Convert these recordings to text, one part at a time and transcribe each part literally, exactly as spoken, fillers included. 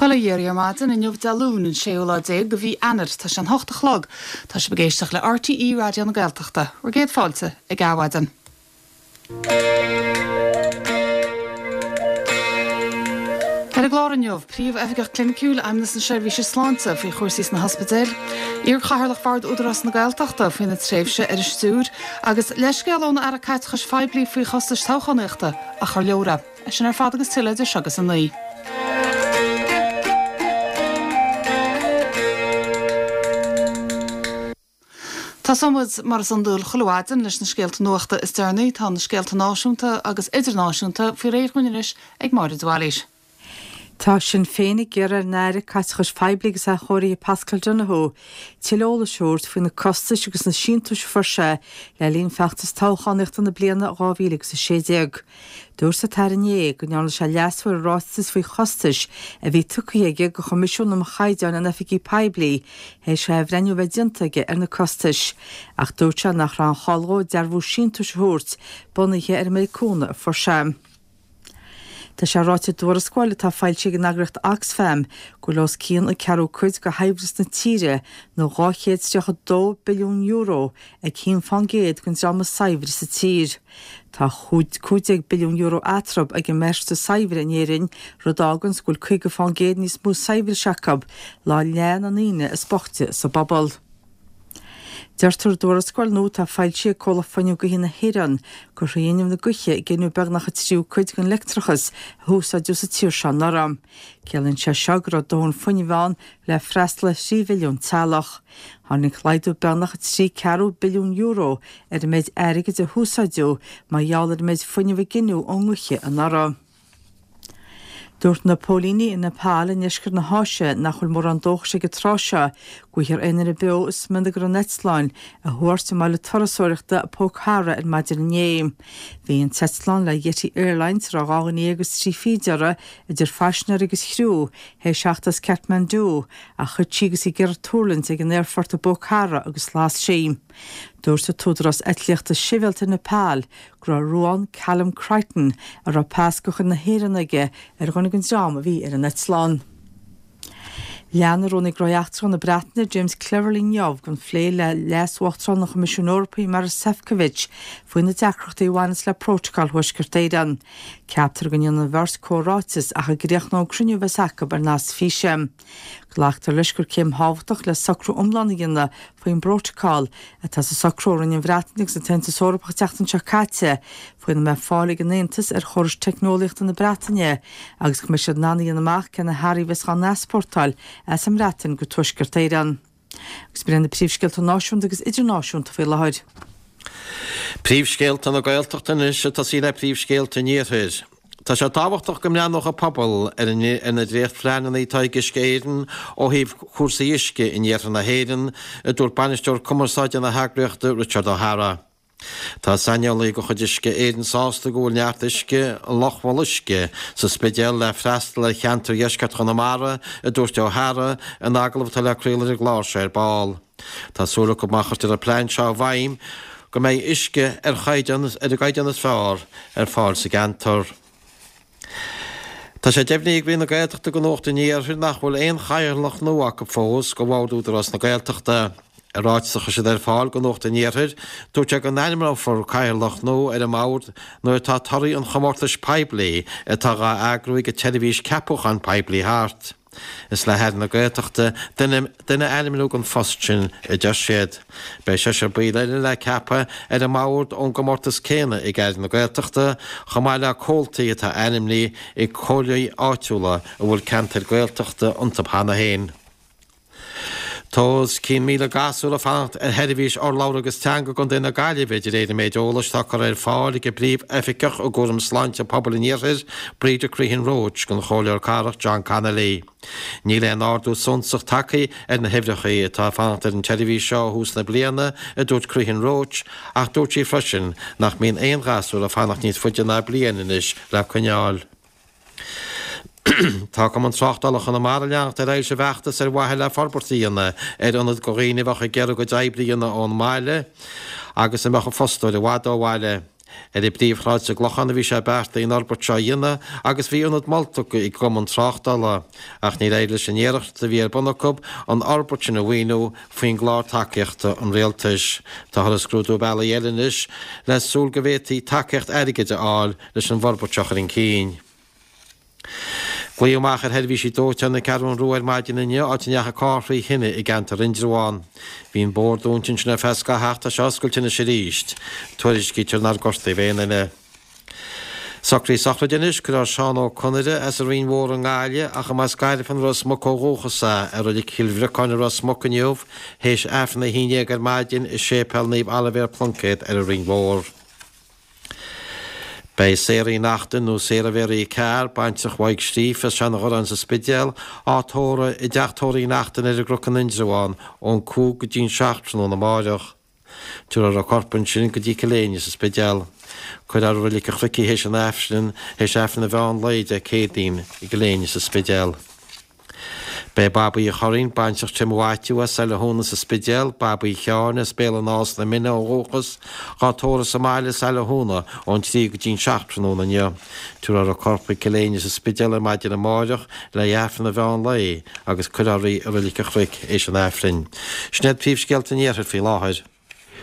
Bail ó Dhia oraibh ar maidin inniu Dé Luain an séú lá déag de mhí Eanáir tá sé an hocht a chlog Tá sibh ag éisteacht le RTÉ Raidió na Gaeltachta, bhur gcéad fáilte ag Adhmhaidin. Ar an gclár inniu, Príomh-Oifigeach Cliniciúil Fheidhmeannas na Seirbhíse Sláinte faoi chúrsaí sna hospidéil, Iar-Chathaoirleach Bhord Údarás na Gaeltachta faoina tréimhse ar an stiúir, agus leithscéal ón Aire Caiteachais Phoiblí faoi chostais toghchánaíochta a chur leora. É sin ar fad agus tuilleadh idir seo agus a naoi. Tosóidh muid mar is iondúil chuile mhaidin leis na scéalta nuachta is deireanaí. Tá na scéalta náisiúnta agus idirnáisiúnta faoi réir dhúinn anois ag Máire de Bhailís. Tá Sinn Féin ag iarraidh ar an Aire Caiteachais Phoiblí agus Athchóirithe Paschal Donohoe tuilleadh eolais a thabhairt faoi na costais agus na síntiúis a fuair sé le linn feachtas toghchánaíochta na bliana dhá mhíle agus a sé déag. Dúirt an tAire inné go ndearna sé leasú ar an ráiteas faoi chostais a bhí tugtha aige do Choimisiún um Chaighdeáin na nOifigí Poiblí théis athbhreithniú a bheith déanta aige ar na costais, ach dúirt sé nach raibh aon chall dhó dearbhú síntiúis a thabhairt bunaithe ar an méid cúnamh a fuair sé. Tá sé ráite i dtuarascáil atá foilsithe ag an eagraíocht Oxfam go bhfuil os cionn an ceathrú cuid de shaibhreas na tíre, nó dhá chéad is tríocha dó billiún euro, ag haon fán gcéad den dream is saibhre sa tír. Tá cúig déag billiún euro eatarthu ag an mbeirt is saibhre in Éirinn, rud a fháganns go bhfuil caoga fán gcéad níos mó saibhris acu ná leath na ndaoine is boichte sa bpobal. Deirtear i dtuarascáil nua atá foilsithe ag Comhlacht Fuinnimh Gaoithe na hÉireann gur thrí fhuinneamh na gaoithe a gineadh beagnach an tríú cuid den leictreachas a húsáideadh sa tír seo anuraidh. Ciallaíonn sé seo go raibh dóthain fuinnimh ann le freastal ar thrí mhilliún teaghlach. Tháinig laghdú beagnach trí ceathrú billiún euro ar an méid airgid a húsáideadh mar gheall ar an méid fuinnimh a gineadh ón ngaoth anuraidh. Dúirt na póilíní i Nepal i ndeisceart na hÁise nach bhfuil mórán dóchais ag an tráth seo go bhfaighfear aon duine beo i smionagar an eitleáin a thuairt i mbaile turasóireachta Pokhara ar maidin inné. Bhí an t-eitleán le Yeti Airlines, a raibh dhá dhuine dhéag agus trí fichid uirthi, idir phaisinéirí agus chriú, théis theacht as Kathmandu, ach thit sí agus í ag iarraidh tuirlingt ag an aerfort i bPokhara agus las sí. Dúirt an tÚdarás Eitlíochta Sibhialta i Nepal go raibh ruán Callum Crichton, a raibh pas de chuid na hÉireann aige, ar dhuine den dream a bhí ar an eitleán. Lean Rúnaí Gnóthaí Eachtracha na Breataine, James Cleverly inniu den phlé le Leas-Uachtarán an Choimisiúin Eorpaigh, Maros Sefcovic, faoi na deacrachtaí a bhaineas le Prótacal Thuaisceart Éireann. Ceaptar go ndéanfaidh an bheirt comhráiteas ach a gcríochnóidh an cruinniú a bheas acu ar nasc físe. Glactar leis gur céim thábhachtach le socrú iomlán a dhéanamh faoin bprótacal atá sa socrú a rinne an Bhreatain agus an tAontas Eorpach an tseachtain seo caite faoina mbeidh fáil ag an Aontas ar chórais teicneolaíochta na Breataine agus go mbeidh siad in ann a dhéanamh amach cé na hearraí a bheas á n-easpórtáil as an mBreatain go Tuaisceart Éireann. Agus b'in iad na príomhscéalta náisiúnta agus idirnáisiúnta faoi láthair. Príomhscéalta na Gaeltachta anois ag tosaí le príomhscéalta an Iarthair. Tá sé tábhachtach go mbreathnódh an pobal ar ar na dréachtphleananna atá ag Uisce Éireann ó thaobh cúrsaí uisce in iarthar na hÉireann, a dúirt bainisteoir cumarsáide na heagraíochta Richard O'Hara. Tá saineolaí de chuid Uisce Éireann sásta go bhfuil neart uisce i Loch Bholuisce sa Spidéal le freastal ar cheantar dheisceart Chonamara, a dúirt O'Hara in agallamh atá le craoladh ar an gclár seo ar ball. Tá súil acu má chuirtear an plean seo i bhfeidhm go mbeidh uisce ar chaighdeán ar an gcaighdeán is fearr ar fáil sa gceantar. Tá sé deimhnithe ag Roinn na Gaeltachta do Nuacht an Iarthair nach bhfuil aon chathaoirleach nua acu fós do Bhord Údarás na Gaeltachta. I ráiteas a chuir siad ar fáil do Nuacht an Iarthair, dúirt sé go n-ainmneofar cathaoirleach nua ar an mbord nuair atá torthaí an chomórtais poiblí atá dhá eagrú ag an tseirbhís ceapúcháin poiblí thart. Is le hAire na Gaeltachta duine a ainmniú don phost sin, a deir siad. Beidh seisear baill eile le ceapadh ar an mbord ón gcomórtas céanna ag Aire na Gaeltachta, chomh maith le comhaltaí atá ainmnithe ag comhairlí áitiúla a bhfuil ceantair Gaeltachta iontu cheana féin. Tá os cionn míle gasúr ag fanacht ar sheirbhís urlabhra agus teanga i gContae na Gaillimhe, de réir an méid eolais atá curtha ar fáil ag an bPríomh-Oifigeach i gCúram Sláinte Pobail an Iarthair, Breda Crehan Roche, don Chomhairleoir Cathrach John Connolly. Níl aon ardú suntasach tagtha ar na huimhreacha atá ag fanacht ar an tseirbhís seo ó thús na bliana, a dúirt Crehan Roche, ach dúirt sí freisin nach mbíonn aon ghasúr ag fanacht níos faide ná bliain anois le coinneáil. Tá Cumann Tráchtála Chonamara ag leanacht ar aghaidh leis an bhfeachtas ar mhaithe le forbairt a dhéanamh ar ionad do dhaoine a bheadh ag iarraidh a gcuid oibre a dhéanamh ón mbaile agus a mbeadh a bhfostóir i bhfad ó bhaile. Ar an bpríomhshráid sa gClochán a bhí sé beartaithe an fhorbairt seo a dhéanamh agus bhí ionad molta ag an gCumann Tráchtála, ach níor éirigh leis an iarracht a bhí ar bun acu an fhorbairt sin a mhaoiniú faoin gclár tacaíochta an rialtais. Táthar ag scrúdú bealaí eile anois le súil go bhféadfaí tacaíocht airgid a fháil leis an bhforbairt seo a chur chun cinn. Glaodh amach ar sheirbhísí dóiteáin na Ceathrún Rua ar maidin inniu áit a ndeachaigh carr trí thine i gceantar Indreabhán. Bhí an bóthar dúnta ansin ar feadh scaithimh ach tá sé oscailte anois arís. Tuairiscítear nár gortaíodh aon duine. Socruithe sochraide anois, Cuirfear Seán Ó Conaire as an Rinn Mhór i nGaillimh ach a mba as Gairfean Ros Muc ó dhúchas é, i Reilig Chill Bhriocáin i Ros Muc inniu, théis Aifreann a haon déag ar maidin i Séipéal Naomh Oilibhéar Pluincéad ar an Rinn Mhór. Beidh Sarah Uí Neachtain nó Sarah Mhéaraí Carr, baintreach Mhaidhc Scríofa as Seanadh sa Spidéal, á tórramh i dteach tórraimh Uí Neachtain ar an gCnoc in Indreabhán ón cúig go dtí'n seacht tráthnóna amáireach. Tabharfar a corp ansin go dtí Cill Éinne sa Spidéal. Cuirfear i Reilig an Chnoic í théis an Aifrinn, théis Aifreann an mheán lae Dé Céadaoin i gCill Éinne sa Spidéal. Beidh Babaí Uí Churraoin, baintreach Tim Mhaitiú as Saile Thúna sa Spidéal, Babaí Sheáin as Béal an Átha sna Mine ó dhúchas, dhá tórramh sa mbaile Saile Thúna ón trí go dtí'n seacht tráthnóna inniu. Tabharfar a corp chuig Cill Éinne sa Spidéal ar maidin amáireach le hAifreann an mheán lae agus cuirfear í i Reilig an Chnoic éis an Aifrinn. Sin iad príomhscéalta an Iarthair faoi láthair.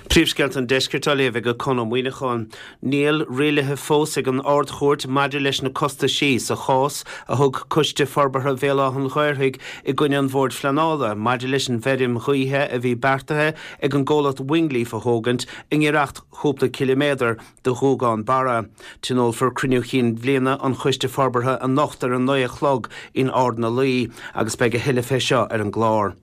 Príomhscéalta an Deiscirt á léamh ag Conn Ó Muíneacháin. Níl rialuithe fós ag an Ard-Chúirt maidir leis na costaisí sa chás a thug Coiste Forbartha Bhéal Átha an Ghaorthaidh i gcoinne an Bhoird Phleanála maidir leis an bhfeirm ghaoithe a bhí beartaithe ag an gcomhlacht Wingleaf a thógaint i ngiorracht chúpla ciliméadar do Ghuagán Barra. Tionólfar cruinniú chinn bhliana an Choiste Forbartha anocht ar a naoi a chlog in Ard na Laoi agus beidh a thuilleadh fé seo ar an gclár.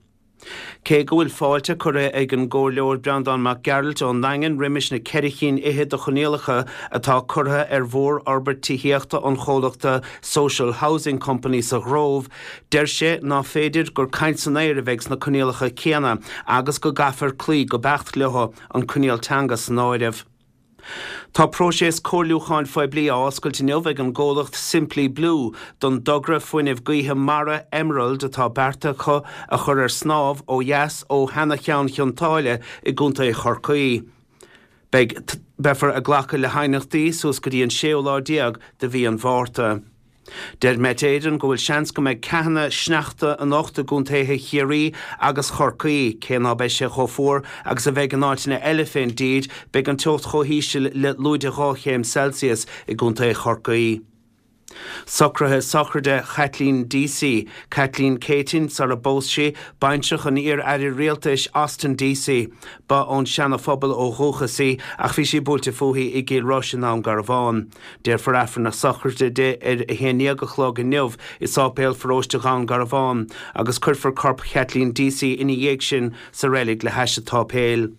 Cé go bhfuil fáilte curtha ag an gComhairleoir Breandán Mac Gearailt ón nDaingean roimis na ceithre cinn fhichead de choinníollacha atá curtha ar mhórfhorbairt tithíochta an chomhlachta Social Housing Company sa Ghrove, deir sé ná féidir gur caint san aer a bheidh sna coinníollacha céanna agus go gcaithfear cloí go beacht leo, an coinníoll teanga san áireamh. Tá próiseas comhairliúcháin phoiblí á oscailt inniu ag an gcomhlacht Simply Blue don dtogra fuinnimh gaoithe mara Emerald atá beartaithe acu a chur ar snámh ó dheas ó sheana-Cheann Chionn tSáile i gContae Chorcaí. Beidh beifear ag glacadh le haighneachtaí suas go dtí an séú lá déag de mhí an Mhárta. Deir Met Éireann go bhfuil seans go mbeidh ceathanna sneachta anocht i gcontaetha Chiarraí agus Chorcaí. Cé ná beidh sé chomh fuar agus a bheidh in áiteanna eile fén dtír, beidh an teocht chomh híseal le lúide dhá chéim Celsius i gcontae Chorcaí. Socruithe sochraide Chaitlín Deasy, Caitlín Céitinn sara bpós sí, baintreach an iar-aire rialtais Austin Deasy. Ba ón Seana-Phobal ó dhúchas í ach bhí sí buailte fúithi i gCill Rois i nDún Garbhán. Déarfar Aifreann na sochraide di ar a haon déag a chlog inniu i Sáipéal Pharóiste Dhún Garbhán agus cuirfear corp Chaitlín Deasy ina dhiaidh sin sa reilig le hais an tsáipéil.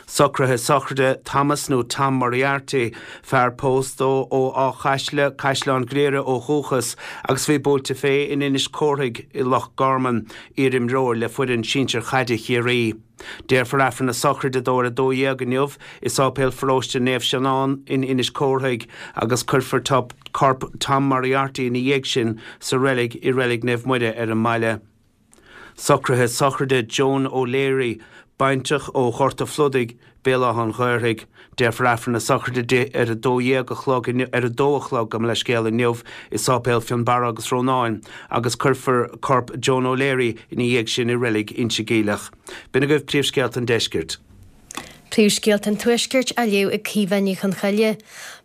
Socruithe sochraide Thomas nó Tom Moriarty, fear pósta ó Áth Caisle, Caisleán Ghriaire ó dhúchas agus bhí buailte fé in Inis Córthaidh i Loch Garman, iarimreoir le foireann sinsir chaide Chiarraí. Déarfar Aifreann na sochraide dó ar a dó dhéag inniu i Sáipéal Pharóiste Naomh Seanán in Inis Córthaidh agus cuirfear corp Tom Moriarty ina dhiaidh sin sa reilig i Reilig Naomh Muire ar an mbaile. Socruithe sochraide Joan O'Leary, baintreach ó Ghort a' Phludaigh, Béal Átha an Ghaorthaidh. Déarfar Aifreann na sochraide di ar a dó dhéag a chlog ar a dó a chlog gabh mo leithscéal inniu i Sáipéal Fionnbarra agus Rónáin agus cuirfear corp Joan O'Leary ina dhiaidh sin i reilig Inse Geimhleach. B'in agaibh príomhscéalta an deiscirt. Príomhscéalta an Tuaiscirt á léamh ag Caoimhe Ní Chonchoille.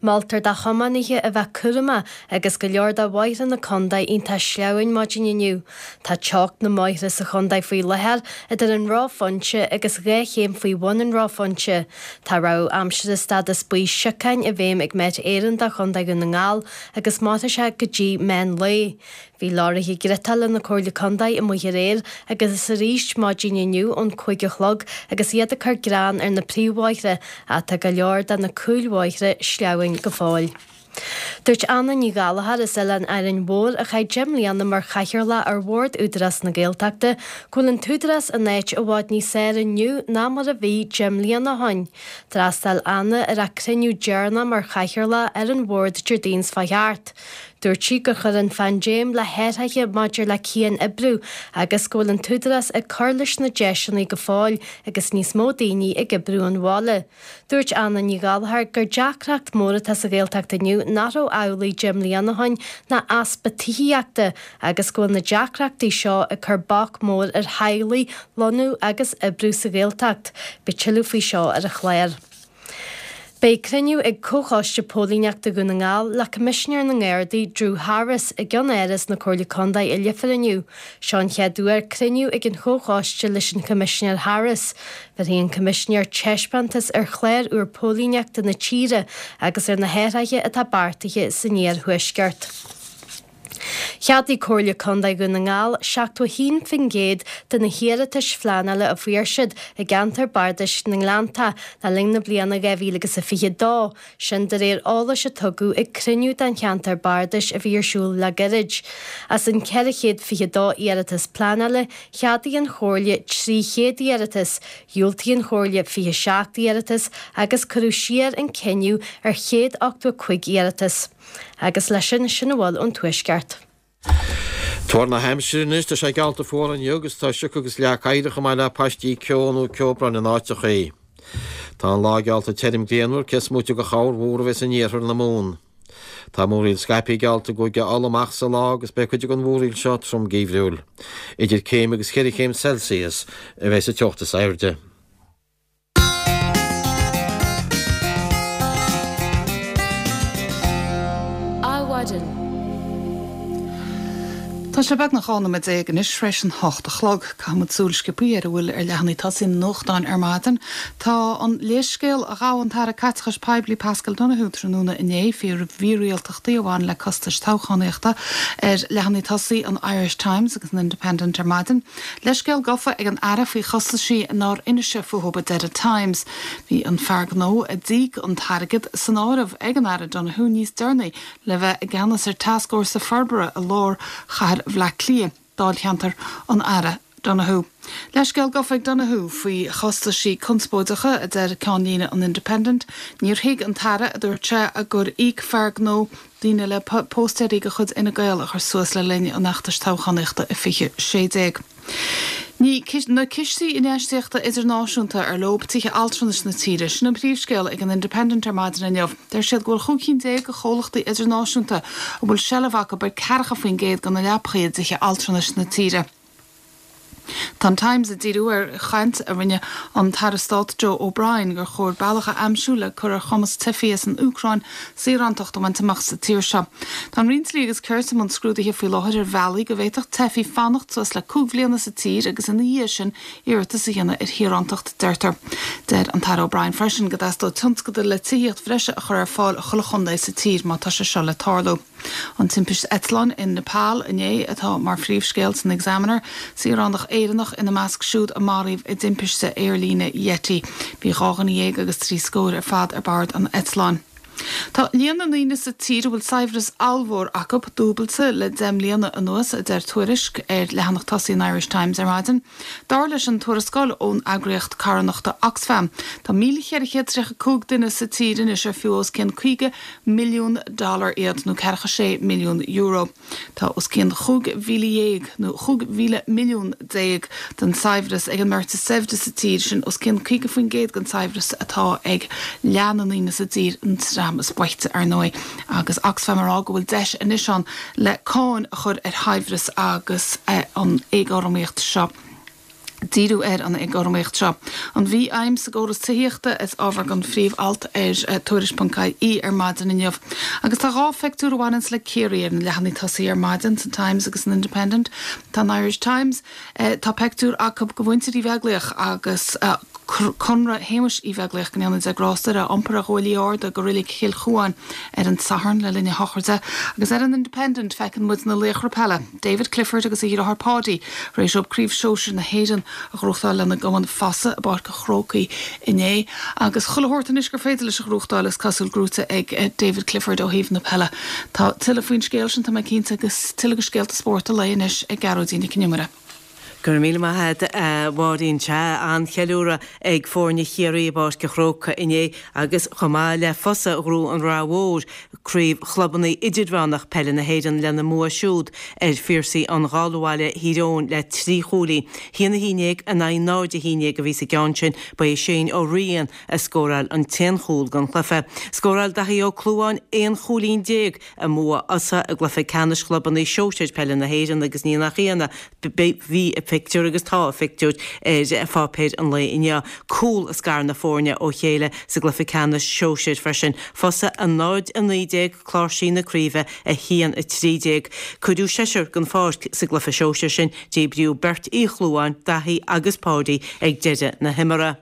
Moltar do thiománaithe a bheith cúramach agus go leor de bhóithre na contae iontach sleamhain maidin inniu. Tá teocht na mbóithre sa chontae faoi láthair idir an reophointe agus dhá chéim faoi bhun an reophointe. Tá rabhadh aimsire stádas buí siocáin i bhfeidhm ag Met Éireann do Chontae Dhún na nGall agus mairfidh sé go dtí meán lae. Bhí leoraithe griotála na Comhairle Contae amuigh aréir agus arís maidin inniu ón cúig a chlog agus iad ag cur grean ar na príomhbhóithre ach tá go leor de na cúlbhóithre sleamhain go fóill. Dúirt Anna Ní Ghallchóir as Oileán Árainn Mhór a chaith deich mbliana mar chathaoirleach ar Bhord Údarás na Gaeltachta go bhfuil an t-údarás in áit i bhfad níos fearr inniu ná mar a bhí deich mbliana ó shin. D'fhreastail Anna ar a cruinniú deireanach mar chathaoirleach ar an bhord Déardaoin seo chuaigh thart. Dúirt sí gur chuir an phaindéim le hathruithe maidir le cian-oibriú agus go bhfuil an tÚdarás ag cur leis na deiseanna go fóill agus níos mó daoine ag oibriú ón bhaile. Dúirt Anna Ní Ghallchóir gur deacracht mór atá sa Ghaeltacht inniu nach raibh amhlaidh deich mbliana ó shin ná easpa tithíochta agus go bhfuil na deacrachtaí seo ag cur bac mór ar theaghlaigh lonnú agus oibriú sa Ghaeltacht. Beidh tuilleadh faoi seo ar an chlár. Beidh cruinniú ag Comhchoiste Póilíneachta Dhún na nGall le Coimisinéir na nGardaí Drew Harris i gceannáras na Comhairle Contae i Leifear inniu. Seo an chéad uair cruinniú ag an Chomhchoiste leis an Choimisinéir Harris. Bhéarfaidh an Coimisinéir taispeántas ar chlár úr póilíneachta na tíre agus ar na hathruithe atá beartaithe san iarthuaisceart. Cheadaigh Comhairle Contae Dhún na nGall seachtó a haon faoin gcéad de na hiarratais phleanála a fuair siad i gceantar bardais na nGleanntach le linn na bliana dhá mhíle agus a fiche dó, sin de réir eolais a tugadh ag cruinniú den cheantar bardais a bhí ar siúl le gairid. As an ceithre chéad fiche dó iarratas pleanála, cheadaigh an Chomhairle trí chéad iarratas, dhiúltaigh an Chomhairle fiche seacht iarratas agus cuireadh siar an cinneadh ar chéad ochtó a cúig iarratas. Agus leis sin, sin a bhfuil ón Tuaisceart. Tuar na haimsire anois, tá sé geallta fuar inniu agus tá sioc agus leac oighir chomh maith le paistí ceo nó ceobhrán in áiteachaí. Tá an lá geallta tirim grianmhar, cé is móite de chorrmhúr a bheas in iarthar na Mumhan. Tá múraíl scaipthe geallta i gCúige Uladh amach sa lá agus beidh cuid den mhúraíl seo trom geimhriúil. Idir céim agus cheithre chéim Celsius a bheas an teocht is airde. Adhmhaidin. Tá sé beagnach dhá nóiméad déag anois tar éis an hocht a chlog. Caithfidh muid súil sciobtha ar a bhfuil ar leathanaigh tosaigh na nuachtán ar maidin. Tá an léarscéal a ghabh an tAire Caiteachais Poiblí Paschal Donohoe tráthnóna inné faoi mhírialtachtaí a bhain le costais toghchánaíochta ar leathanaigh tosaigh an Irish Times agus an Independent ar maidin. Leithscéal gafa ag an Aire faoi chostaisí nár inis sé fúthu, a deir an Times. Bhí an fear gnó a d'íoc an t-airgead san áireamh ag an Aire Donohoe níos deireanaí le bheith i gceannas ar Tascfhórsa Forbartha i lár chathair Bhaile Átha Cliath, dáilcheantar an Aire Donohoe. Leithscéal gafa ag Donohoe faoi chostaisí conspóideacha, a deir ceannlíne an Independent. Níor thuig an tAire, a dúirt sé, gur íoc fear gnó daoine le póstaeirí de chuid Fhine Gael a chur suas le linn an fheachtais toghchánaíochta i fiche sé déag. Ní na cistí infheistíochta idirnáisiúnta ar leo tithe altranais na tíre, sin an príomhscéal ag an Independent ar maidin inniu. Deir siad go bhfuil chúig cinn déag de chomhlachtaí idirnáisiúnta a bhfuil seilbh acu ar ceathracha faoin gcéad de na leapacha i dtithe altranais na tíre. Tá an Times ag díriú ar chaint a rinne an tAire Stáit Joe O'Brien gur chóir bealach a aimsiú le cur ar chumas teifigh as an Úcráin saorántacht a bhaint amach sa tír seo. Tá an Roinn Dlí agus Cirt i mbun scrúdaithe faoi láthair ar bhealaí go bhféadfadh teifigh fanacht suas le cúig bhliana sa tír agus ina dhiaidh sin iarratas a dhéanamh ar shaorántacht, deirtear. Deir an tAire O'Brien freisin go dteastódh tionscadal le tithíocht bhreise a chur ar fáil i chuile chontae sa tír má tá sé seo le tarlú. An timpiste eitleáin in Nepal inné atá mar phríomhscéal san Examiner, saoránach Éireannach ina measc siúd a maraíodh i dtimpiste aerlíne Yeti. Bhí dhá dhuine dhéag agus trí scór ar fad ar bord an eitleáin. Tá líon na ndaoine sa tír a bhfuil saibhreas ollmhór acu dúbailte le deich mbliana anuas, a deir tuairisc ar leathanach tosaigh an Irish Times ar maidin. Dar leis an tuarascáil ón eagraíocht carthanachta Oxfam, tá míle cheithre chéad tríocha cúig duine sa tír anois ar fiú os cionn caoga milliún dollar iad, nó ceathracha sé milliún euro. Tá os cionn chúig mhíle dhéag, nó chúig mhíle milliún déag, den saibhreas ag an mbeirt is saibhre sa tír, sin os cionn caoga faoin gcéad den saibhreas atá ag leath na ndaoine sa dtír, an dream is boichte, ar ndóigh. Agus Oxfam ag rá go bhfuil deis anois ann le cáin a chur ar shaibhreas agus an éagothromaíocht seo. díriú ar an éagothromaíocht seo. An mhífheidhm sa gcóras tithíochta is ábhar don phríomh-alt ar Tuairisc ponc IE ar maidin inniu. Agus tá dhá phictiúr a bhaineanns le Ciarraí ar na leathanaigh tosaigh ar maidin, san Times agus san Independent. Tá an Irish Times, tá peictiúr acu de mhuintir Uí Bheaglaoich agus Conradh Shéamuis Uí Bheaglaoich, go ndéana Dia grásta air, á iompar ar ghuaillí arda go Reilig Chill Chuáin ar an Satharn le linn a shochraide. Agus ar an Independent feiceann muid na laochra peile, David Clifford agus a dheartháir Paudie, tar éis dóibh Craobh Shóisir na hÉireann a ghnóthachtáil lena gcumann Fossa i bPáirc an Chrócaigh inné. Agus chuile shórt anois gur féidir leis a ghnóthachtáil, is cosúil, gnóite ag David Clifford ó thaobh na peile. Tá tuilleadh faoin scéal sin, tá mé cinnte, agus tuilleadh de scéalta spóirt an lae anois ag Gearóidín Nic Con Iomaire. Go raibh míle maith agat a Mháirín. Sea, an-cheiliúradh ag foirne Chiarraí i bPáirc an Chrócaigh inné agus chomh maith le Fosa ghnóthaigh an Ráth Mhór Craobh Chlubanna Idirmheánach Peile na hÉireann lena mbua siúd ar Phiarsaigh an Gháilbhaile Thír Eoghain le trí chúilín. Haon a haon déag in aghaidh náid a haon déag a bhí sa gceann sin. Ba é Shane Ó Riain a scóráil an t-aon chúl don chluiche. Scóráil Daithí Ó Clúmháin aon chúilín déag i mbua Fhosa i gcluiche ceannais Chlubanna Sóisir Peile na hÉireann agus ní nach ionadh bhí a phictiúr agus tá a phictiúr ar pháipéir an lae inniu. Cúl a scar na foirne ó chéile sa gcluiche ceannais sóisir freisin. Fosa a náid a naoi déag, Cláirsigh na craoibhe a haon a trí déag. Cuireadh seisear den pháirc sa gcluiche sóisir sin, díbríodh beirt Uí Chlúmháin, Daithí agus Páidí ag deireadh na himeartha.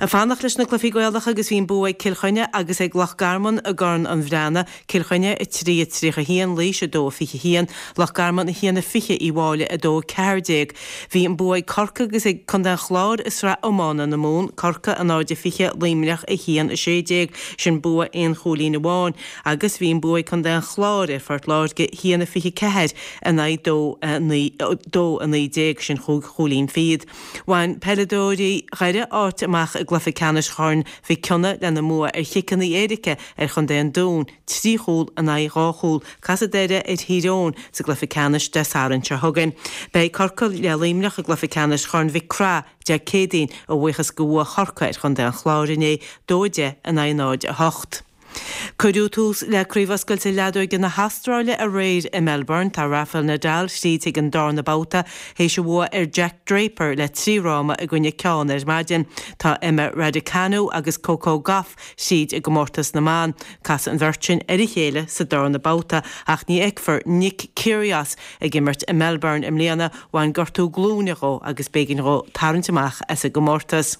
Ag fanacht leis na cluichí Gaelacha agus bhí an bua ag Cill Chainnigh agus ag Loch Garman i gCorn an Bhreathnaigh, Cill Chainnigh a trí a tríocha a haon, Laois a dó a fiche a haon, Loch Garman a haon a fiche, Uíbh Fhailí a dó a ceathair déag. Bhí an bua ag Corcaigh agus ag Contae an Chláir i Sraith Iomána na Mumhan, Corcaigh a náid a fiche, Luimneach a haon a sé déag, sin bua aon chúilín amháin, agus bhí an bua ag Contae an Chláir ar Phort Láirge, a haon a fiche ceathair in aghaidh dó a naoi dó a naoi déag, sin chúig chúilín fichead. Bhain peileadóirí Dhoire áit amach i gcluiche ceannais Chorn Mhic Cionnaith lena mbua ar chiceanna éirice ar chontae an Dúin, trí chúl in aghaidh dhá chúl. Casfaidh Doire ar Thír Eoghain sa gcluiche ceannais Dé Sathairn seo chugainn. Beidh Corcaigh le Luimneach i gcluiche ceannais Chorn Mhic Craith Dé Céadaoin, a bhuíochas go bhua Chorcaí ar chontae an Chláir inné, dó a deich in aghaidh náid a hocht. Cuireadh tús le Craobh Oscailte Leadóige na hAstráile aréir i Melbourne. Tá Rafael Nadal tríd chuig an darna babhta théis a bhua ar Jack Draper le trí fhráma i gcoinne ceann ar maidin. Tá Emma Raducanu agus Coco Gauff tríd i gcomórtas na mban. Casfaidh an bheirt sin ar a chéile sa darna babhta ach ní fheicfear Nick Kyrgios ag imirt i Melbourne i mbliana. Bhain gortú glúine dhó agus b'éigean dhó tarraingt amach as an gcomórtas.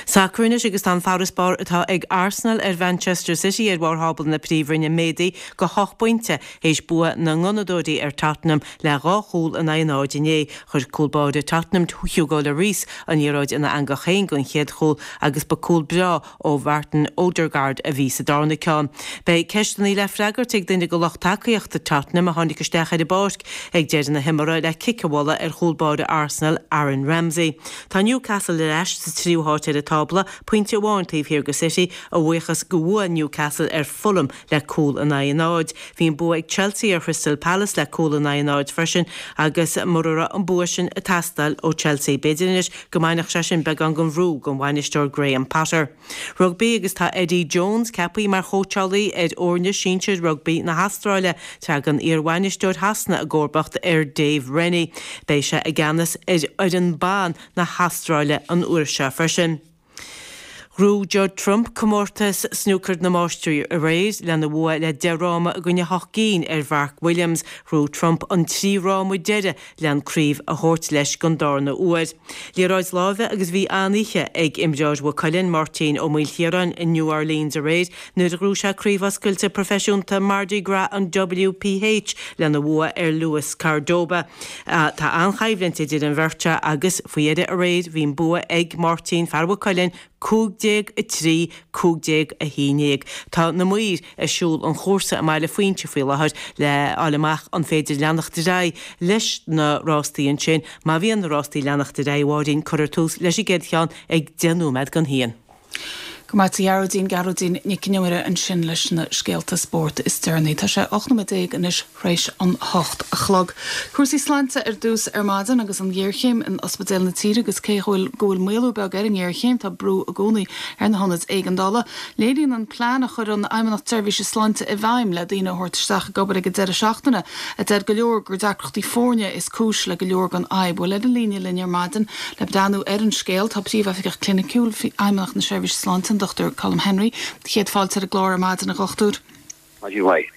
Sacar anois agus tá an farasbarr atá ag Arsenal ar Mhanchester City ar bharr thábla na Príomhroinne méadaithe go hocht bpointe théis bua na nGunnadóirí ar Tottenham le dhá chúl in aghaidh a náid inné. Chuir cúl báire Tottenham Hugo Lloris an liathróid ina eangach féin don chéad chúl agus ba cúl breá ó Mhartin Odegaard a bhí sa darna ceann. Beidh ceisteanna le freagairt ag duine de lucht tacaíochta Tottenham a tháinig isteach ar an bpáirc ag deireadh na himeartha le cic a bhualadh ar chúl báire Arsenal Aaron Ramsey. Tá Newcastle ar ais sa tríú háit ar an tábla, pointe amháin taobh thiar de City, a bhuíochas go bhua Newcastle ar Fulham le cúl in aghaidh a náid. Bhí an bua ag Chelsea ar Chrystal Palace le cúl in aghaidh a náid freisin agus mura raibh an bua sin ag teastáil ó Chelsea, b'fhéidir anois go mbainfeadh sé sin beagán den bhrú den bhainisteoir Graham Potter. Rugbaí agus tá Eddie Jones ceaptha mar chóitseálaí ar fhoirne sinsir rugbaí na hAstráile. Tagann iarbhainisteoir Shasana i gcomharbacht ar Dave Rennie. Beidh sé i gceannas ar fhoireann ban na hAstráile an uair seo freisin. Ghnóthaigh Judd Trump comórtas snúcair na Máistrí aréir lena bhua le deich fhráma i gcoinne hocht gcinn ar Mhark Williams. Ghnóthaigh Trump an trí fhráma deiridh le an craobh a thabhairt leis don darna huair. Liathróid láimhe agus bhí an-oíche ag imreoir Mhaigh Cuilinn, Máirtín Ó Maoilchiaráin i New Orleans aréir nuair a ghnóthaigh sé Craobh Oscailte Proifisiúnta Mardi Gras an WPH lena bhua ar Luis Cordoba. Tá an-choimhlint idir an bheirt seo agus faoi dheireadh aréir bhí an bua ag Máirtín, fear Mhaigh Cuilinn, cúig déag a trí, cúig déag a haon déag. Tá na maoir ag siúl an chúrsa i mBaile Phuinse faoi láthair le fháil amach an féidir leanacht ar aghaidh leis na rástaí ansin. Má bhíonn na rástaí ag leanacht ar aghaidh, a Mháirín, cuirfear tús leis an gcéad cheann ag deich nóiméad don haon. Go maith a Ghearóidín, Gearóidín Nic Con Iomaire ansin leis na scéalta spóirt is deireanaí. Tá sé ocht nóiméad déag anois th'réis an hocht a chlog. Cúrsaí sláinte ar dtús ar maidin agus an ghéarchéim in ospidéil na tíre agus cé go bhfuil go bhfuil maolú beag ar an ngéarchéim tá brú i gcónaí ar na hionaid éigeandála. Léiríonn an plean a chuir an Fheidhmeannacht Seirbhíse Sláinte i bhfeidhm le daoine a thabhairt isteach ag obair ag an deireadh seachtaine a deir go leor gur deacrachtaí foirne is cúis le go leor den fhadhb. Bhuel ar an líne linn ar maidin le breathnú ar an scéal tá Príomhoifigeach Cliniciúil Fheidhmeannacht na Seirbhíse Sláinte an Dochtúir Colm Henry. Céad fáilte ar an gclár ar maidin a dhochtúir. Maidin mhaith.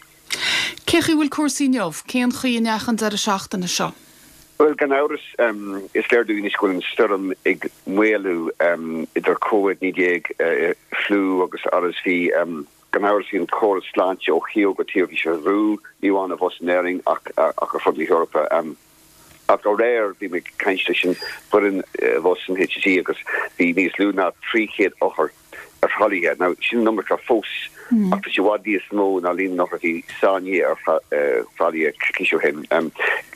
Cé chaoi bhfuil cúrsaí inniu? Cén chaoi a ndeachaigh an deireadh seachtaine seo? Bhuel, gan amhras, is léir dúinn anois go bhfuil an stoirm ag maolú, idir Covid naoi déag, fliú agus R S V. Gan amhras, bhí an córas sláinte ó thaobh go taobh, bhí sé faoi bhrú, ní amháin abhus in Éirinn ach ach ar fud na hEorpa. Ach aréir, bhí mé ag caint leis an bhfoireann abhus san H S E agus bhí níos lú ná trí chéad othar ar thralaithe. Now, sin an iomarca fós, ach tá sé i bhfad níos mó ná líon na n-othar a bhí sáinnithe ar thralaithe coicís ó shin.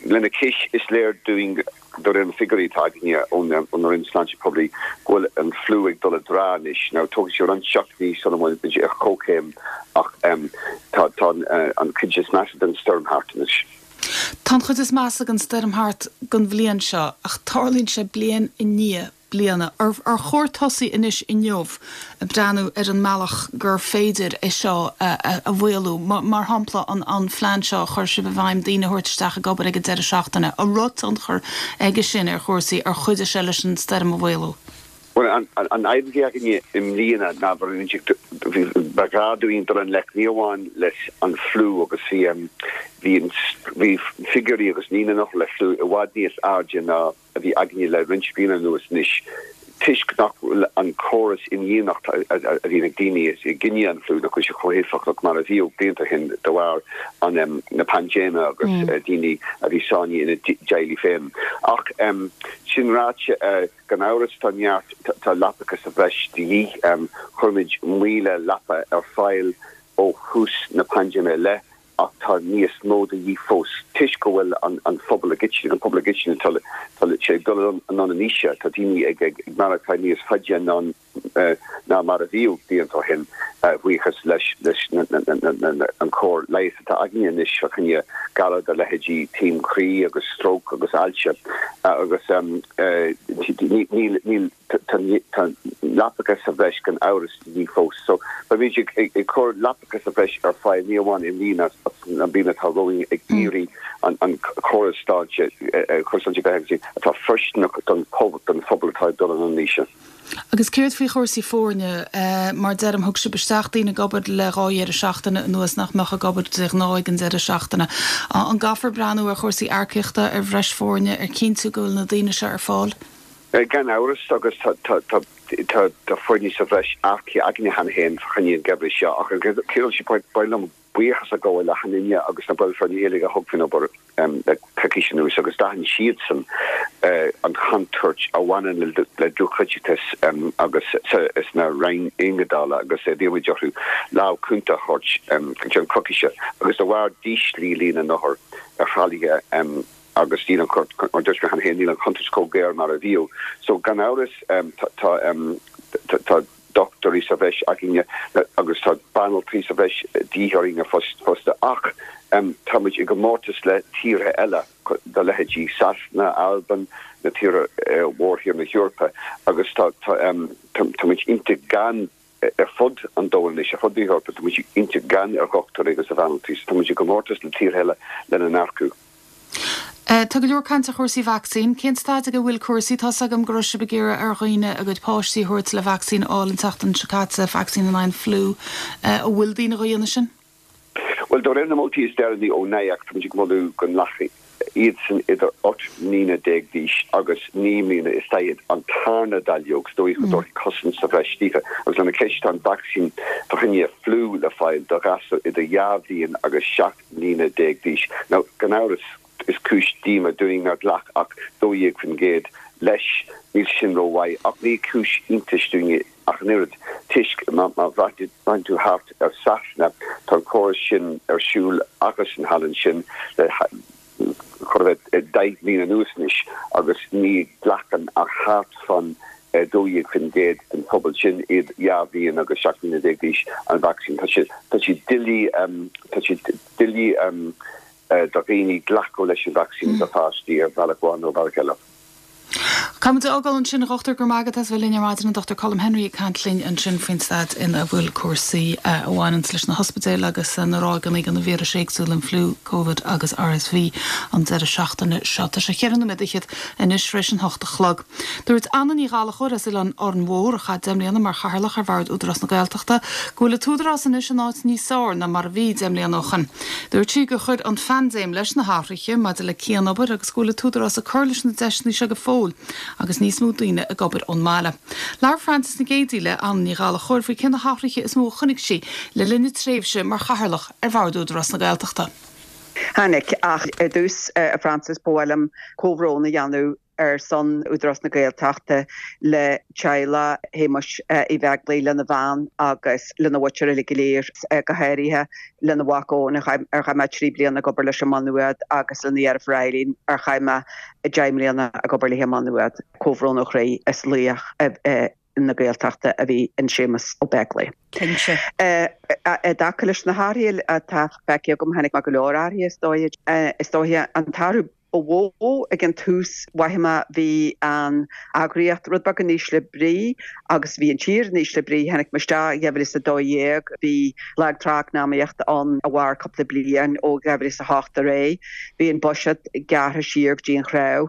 Lena chois, is léir dúinn, de réir na figiúirí atá againne ón Roinn Sláinte Poiblí, go bhfuil an fliú ag dul i dtrá anois. Now, tógfaidh sé roinnt seachtainí sula mbeidh muid ar comhchéim ach tá an chuid is measa den stoirm thart anois. Tá an chuid is measa den stoirm thart don bhliain seo ach tarlaíonn sé bliain i ndiaidh bliana. Ar chóir tosaí anois inniu ag breathnú ar an mbealach gur féidir é seo a mhaolú? Mar shampla an phlean seo a chuir sibh i bhfeidhm, daoine a thabhairt isteach ag obair ag an deireadh seachtaine. An raibh tionchar aige sin ar chúrsaí, ar chuidigh sé leis an stoirm a mhaolú? Bhuel, an fhadhb a bhí againne i mbliana ná ba ghá dúinn dul i ngleic ní amháin leis an fliú agus bhí bhí bhí figiúirí agus líon na n-othar le fliú i bhfad níos airde ná a bhí againne le roinnt bliana anuas anois toisc nach bhfuil an córas imdhíonachta a bhíonn ag daoine i gcoinne an fliú, nach bhfuil sé chomh héifeachtach mar a bhíodh blianta ó shin de bharr an na paindéime agus daoine a bhí sáinnithe ina dteaghlaigh féin. Ach sin ráite, gan amhras tá neart, tá leapacha sa bhreis de dhíth. Chuir muid míle leapa ar fáil ó thús na paindéime i leith ach tá níos mó de dhíth fós toisc go bhfuil an phobal i gcoitinne, an pobal i gcoitinne, tá sé ag dul anonn in aois, tá daoine ag maireachtáil níos faide anonn ná mar a bhíodh blianta ó shin, buíochas leis an chóir leighis atá againne anois fá choinne galar de leithéidí taom croí agus stróc agus ailse agus níl tá leapacha sa bhreis gan amhras de dhíth fós. So beimid ag cur leapacha sa bhreis ar fáil ní amháin i mbliana ach an bhliain atá romhainn ag iarraidh an córas sláinte, córas sláinte go atá fóirsteanach don phobal atá ag dul anonn in aois. Agus céard faoi chúrsaí foirne? Mar deirim, thug sibh isteach daoine ag obair le dhá dheireadh seachtaine anuas nach mbeadh ag obair de ghnáth ag an deireadh seachtaine. An gcaithfear breathnú ar chúrsaí earcaíochta, ar bhreis foirne, ar chinntiú go bhfuil na daoine seo ar fáil? Gan amhras, agus tá foirne sa bhreis earcaithe againne cheana féin fá choinne an gheimhridh seo, ach ar an gcéad dul síos ba mhaith liom buíochas a ghabháil le achan duine agus na baill foirne uilig a thug faoin obair le coicís anuas agus d'aithin siadsan an chontúirt a bhaineann le dlúthchaiteachas agus sna roinn éigeandála agus d'iarr muid orthu lámh cúnta a thabhairt go ceann coicíse agus de bharr d'ísligh líon na n-othar ar thralaithe agus níl an, mar a dúirt mé cheana féin, níl an chontúirt chomh géar mar a bhíodh. So gan amhras tá tá dochtúirí sa bhreis againne agus tá banaltraí sa bhreis de dhíth orainne fosta ach tá muid i gcomórtas le tíortha eile de leithéidí Sasana, Albain, na tíortha mhórthír na hEorpa agus tá tá muid iontach gann ar fud an domhain anois, ar fud na hEorpa, tá muid iontach gann ar dhochtúirí agus ar bhanaltraí so tá muid i gcomórtas le tíortha eile lena n-earcú. Tá go leor cainte ar chúrsaí vacsaín. Cén staid ag a bhfuil cúrsaí? Tá's agam go raibh sibh ag iarraidh ar dhaoine a gcuid páistí a thabhairt le vacsaín a fháil an tseachtain seo caite, vacsaín in aghaidh an fliú. An bhfuil daoine dhá dhéanamh sin? Bhuel, de réir na moltaí is deireanaí ó N I A C, tá muid ag moladh go nglacfaidh iadsan idir ocht mbliana déag d'aois agus naoi mbliana is daichead an tarna dáileog, sa dóigh go dtabharfaí cosaint sa bhreis daofa. Agus lena chois, tá an vacsaín fá choinne fliú le fáil do ghasúir idir dhá bhliain agus seacht mbliana déag d'aois. Now, gan amhras, is cúis díoma dúinn nár ghlac ach dó dhéag faoin gcéad leis. Níl sin rómhaith, ach ní cúis iontais dúinn ach an oiread, toisc má bhreathnaíonn tú thart ar Sasana, tá an córas sin ar siúl acusan thall ansin le chóir a bheith deich mbliana anuas anois agus ní ghlacann ach thart fán dó dhéag faoin gcéad den phobal sin, iad dhá bhliain agus seacht mbliana déag d'aois, an vacsaín. Tá sé, tá sé doiligh, tá sé doiligh do dhaoine glacadh leis an vacsaín do pháistí ar bhealach amháin nó bealach eile. Caithfidh muid a fhágáil ansin, a Dhochtúir, go raibh maith agat as bheith linn ar maidin, an Dochtúir Colm Henry ag caint linn ansin faoin staid ina bhfuil cúrsaí a bhaineanns leis na hospidéil agus na ráigeanna de na víris éagsúla, an fliú, Covid agus R S V an deireadh seachtaine seo. Tá sé cheithre nóiméad fhichead anois tar éis an hocht a chlog. Dúirt Anna Ní Ghallchóir as Oileán Árainn Mhór, a chaith deich mbliana mar chathaoirleach ar Bhord Údarás na Gaeltachta, go bhfuil an t-údarás anois in áit níos fearr ná mar a bhí deich mbliana ó shin. Dúirt sí gur chuir an phaindéim leis na hathruithe maidir le cianobair agus go bhfuil an t-údarás ag cur leis na deiseanna seo go fóill agus níos mó daoine ag obair ón mbaile. Labhair Frances Nic Géadaigh le Anna Ní Ghallchóir faoi cé na hathruithe is mó a chonaic sí le linn a tréimhse mar chathaoirleach ar Bhord Údarás na Gaeltachta. Tháinig ach ar dtús a Frances ba mhaith liom comhbhrón a dhéanamh ar son Údarás na Gaeltachta le teaghlach Shéamuis Uí Bheaglaoich lena bhean agus lena mhuintir uilig go léir, go háirithe lena mhac Eoin ar chaith mé trí bliana ag obair leis i Maigh Nuad agus lena dheirfiúr Eileen ar chaith mé deich mbliana ag obair léi i Maigh Nuad. Comhbhrón ó chroí is laoch na Gaeltachta a bhí in Séamus Ó Beaglaoich. Cinnte. I dtaca leis na hathruithe atá feicthe agam chonaic mé go leor athruithe is dóigh. Is dóiche an t-athrú ba mhó ag an tús mhothaigh mé bhí an eagraíocht rud beag in ísle brí agus bhí an tír in ísle brí. Tháinig mé isteach i dhá mhíle is a dó dhéag, bhí lag trá eacnamaíochta ann a mhair cúpla bliain ó dhá mhíle is a hocht ar aghaidh. Bhí an buiséad gearrtha siar go dtí an chnámh.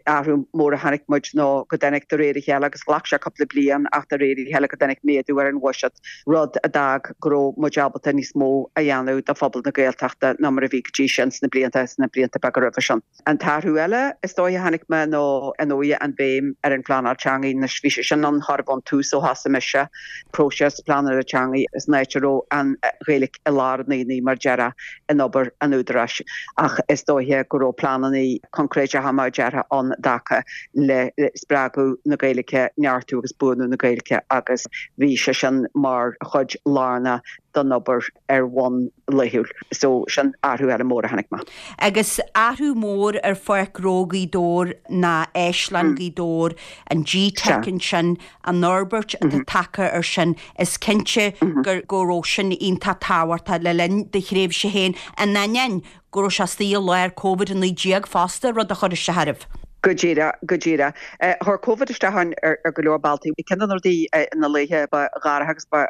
Athrú mór a chonaic muid ná go dtáinig de réir a chéile agus ghlac sé cúpla bliain ach de réir a chéile go dtáinig méadú ar an bhuiséad, rud a d'fhág go raibh muid ábalta níos mó a dhéanamh do phobal na Gaeltachta ná mar a bhí go dtí sin sna blianta sna blianta beaga roimhe sin. An t-athrú eile is dóigh a chonaic mé ná ar ndóigh an bhéim ar an phleanáil teanga. Anois bhí sé sin ann chóir a bheith ón tús ó thosaigh mise próiseas pleanála teanga san áit a raibh an Ghaeilge i lár an aonaigh mar a déarfá in obair an Údaráis ach is dóiche go raibh pleananna coincréiteacha mar a déarfá ann i dtaca le spreagadh na Gaeilge, neartú agus buanú na Gaeilge agus bhí sé sin mar chuid lárnach den obair ar bhonn laethúil. So sin athrú eile mór a chonaic mé. Agus athrú mór ar Pháirc Ghnó Ghaoth Dobhair ná Áislann Ghaoth Dobhair, an G-Teic ansin, an fhorbairt atá tagtha ar sin, is cinnte gur go raibh sin iontach tábhachtach le linn do thréimhse féin, in ainneoin go raibh sé istigh i lár Covid a naoi déag fosta, rud a chuir isteach oraibh. Go díreach, go díreach. Chuir Covid isteach ar go leor bealtaí. Ceann de na rudaí na laethe ba ghairid agus ba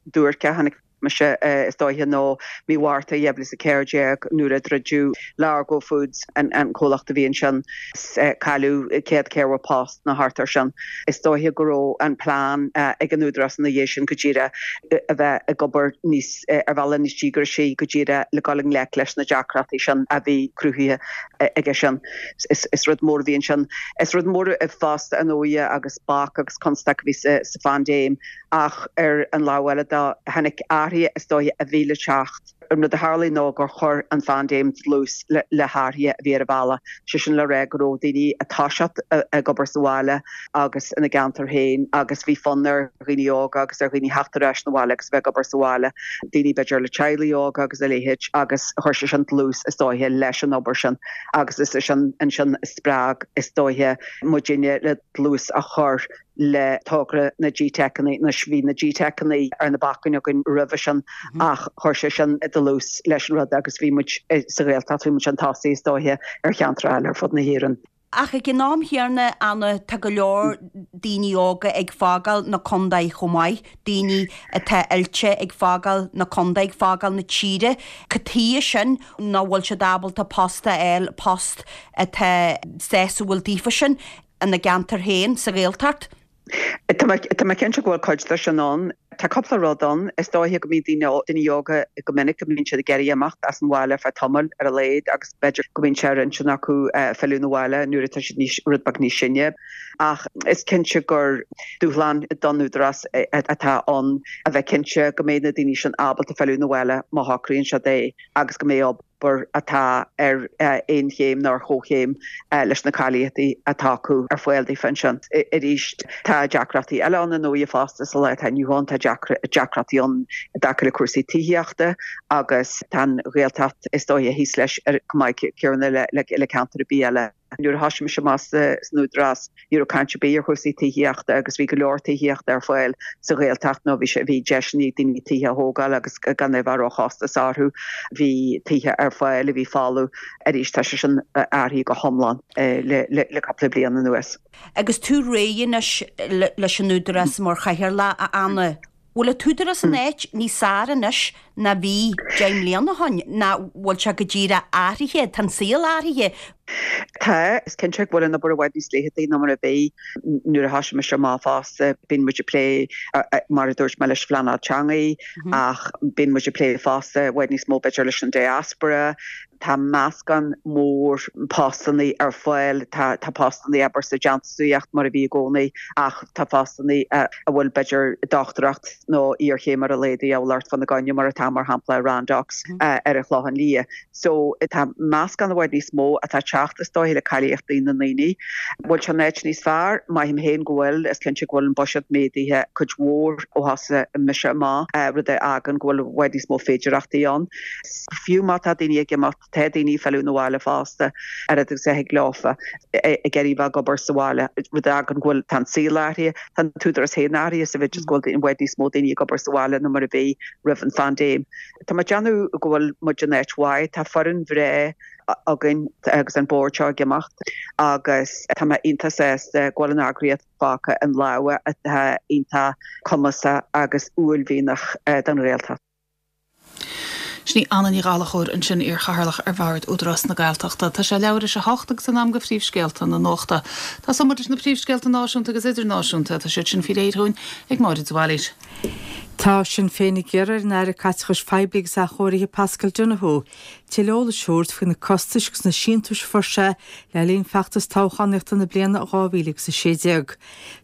duairce a chonaic mise is dóiche ná mí Mhárta dhá mhíle is a ceathair déag nuair a druideadh Largo Foods, an comhlacht a bhí ansin, cailleadh céad ceathracha post nó thart air sin. Is dóiche go raibh an plean ag an Údarás ina dhiaidh sin go díreach a bheith ag obair níos ar bhealach níos díograisí go díreach le dul i ngleic leis na deacrachtaí sin a bhí cruthaithe aige sin. Is rud mór a bhí ansin. Is rud mór fosta ar ndóigh agus bac agus constaic a bhí sa phaindéim ach ar an lámh eile de tháinig athruithe is dóiche a bhí le teacht. An rud a tharlaigh ná gur chuir an phaindéim dlús le hathruithe a bhí ar an bhealach, sé sin le rá go raibh daoine ag toiseacht ag obair sa bhaile agus ina gceantar féin agus bhí fonn ar dhaoine óga agus ar dhaoine theacht ar ais 'na bhaile agus a bheith ag obair sa bhaile, daoine b'fhéidir le teaghlaigh óga agus a leithéid agus chuir sé sin dlús is dóiche leis an obair sin agus is é sin ansin a spreag is dóiche muidinne le dlús a chur le togra na G-Teiceanna. Anois bhí na G-Teiceanna ar na bacáin againn roimhe sin ach chuir sé sin dlús leis an rud agus bhí muid sa Ghaeltacht, bhí muid chun tosaigh is dóiche ar cheantair eile ar fud na hÉireann. Ach ag an am chéanna, Anna, tá go leor daoine óga ag fágáil na contae chomh maith, daoine atá oilte ag fágáil na contae, ag fágáil na tíre. Cad chuige sin nach bhfuil siad ábalta post a fháil, post atá sásúil daofa sin ina gceantar féin sa Ghaeltacht? Tá mé cinnte go bhfuil cuid de sin ann. Tá cúpla rud ann. Is dóiche go mbíonn daoine daoine óga go minic go mbíonn siad ag iarraidh imeacht as an bhaile ar feadh tamaill ar a laghad agus b'fhéidir go mbíonn sé ar intinn acu filleadh 'na bhaile nuair atá siad níos rud beag níos sine. Ach is cinnte gur dúshlán don Údarás atá ann a bheith cinnte go mbeidh na daoine sin ábalta filleadh 'na bhaile má shocraíonn siad é agus go mbeidh obair atá ar aon chéim nó ar chomhchéim leis na cáilíochtaí atá acu ar fáil daofa ansin. Arís, tá deacrachtaí eile ann ar ndóigh fosta sa lá atá inniu ann, tá deacrachtaí ann i dtaca le cúrsaí tithíochta agus tá an Ghaeltacht is dóiche thíos leis chomh maith céanna le ceantar ar bith eile. Nuair a thosaigh mise amach san Údarás, ní raibh caint ar bith ar chúrsaí tithíochta agus bhí go leor tithíochta ar fáil sa Ghaeltacht nó bhí sé bhí deiseanna ag daoine tithe a thógáil agus gan é bheith róchostasach orthu. Bhí tithe ar fáil a bhí folamh. Arís tá sé sin athraithe go hiomlán le le cúpla bliain anuas. Agus tú réidh anois leis an Údarás mar chathaoirleach, a Anna, bhfuil an tÚdarás in áit níos fearr anois ná bhí deich mbliana ó shin, nó bhfuil sé go díreach athraithe, tá an saol athraithe? Tá, is cinnte go bhfuil an obair i bhfad níos leitheadaí ná mar a bhí nuair a thosaigh mise amach fosta. Bíonn muid ag plé, mar a dúirt mé, leis an phleanáil teanga ach bíonn muid ag plé fosta i bhfad níos mó b'fhéidir leis an diaspora. Tá meascán mór postannaí ar fáil, tá tá postannaí abair sa déantúsaíocht mar a bhí i gcónaí ach tá postannaí a bhfuil b'fhéidir dochtúireacht nó iarchéim ar a laghad de dhíobháil ort fána gcoinne mar atá mar shampla i Randox ar an Chlochán Liath. So tá meascán i bhfad níos mó atá ag teacht teacht is dóiche le cáilíochtaí na ndaoine. Bhfuil sé in áit níos fearr? Maím féin go bhfuil, is cinnte go bhfuil an buiséad méadaithe cuid mhór ó thosaigh mise amach, rud a fhágann go bhfuil i bhfad níos mó féidearthachtaí ann. Fiú má tá daoine ag imeacht, tá daoine ag filleadh 'na bhaile fosta, oiread agus a thig leofa, ag iarraidh bheith ag obair sa bhaile, rud a fhágann go bhfuil, tá an saol athraithe, tá an tÚdarás féin athraithe sa mhéid is go bhfuil i bhfad níos mó daoine ag obair sa bhaile ná mar a bhí roimh an phaindéim. Tá mé ag déanamh go bhfuil muid in áit mhaith, tá foireann bhreá againn agus an bord seo ag imeacht agus tá mé iontach sásta go bhfuil an eagraíocht fágtha in lámha atá iontach cumasach agus uaillmhianach don Ghaeltacht. Sin í Anna Ní Ghallchóir ansin, iar-chathaoirleach ar Bhord Údarás na Gaeltachta. Tá sé leathuair théis a hocht agus in am do phríomhscéalta na nuachta. Tosóidh muid leis na príomhscéalta náisiúnta agus idirnáisiúnta. Tá siad sin faoi réir dúinn ag Máire de Bhailís. Tá Sinn Féin ag iarraidh ar an Aire Caiteachais Phoiblí agus Athchóirithe Paschal Donohoe tuilleadh eolais a thabhairt faoi na costais agus na síntiúis a fuair sé le linn feachtas toghchánaíochta na bliana dhá mhíle agus a sé déag.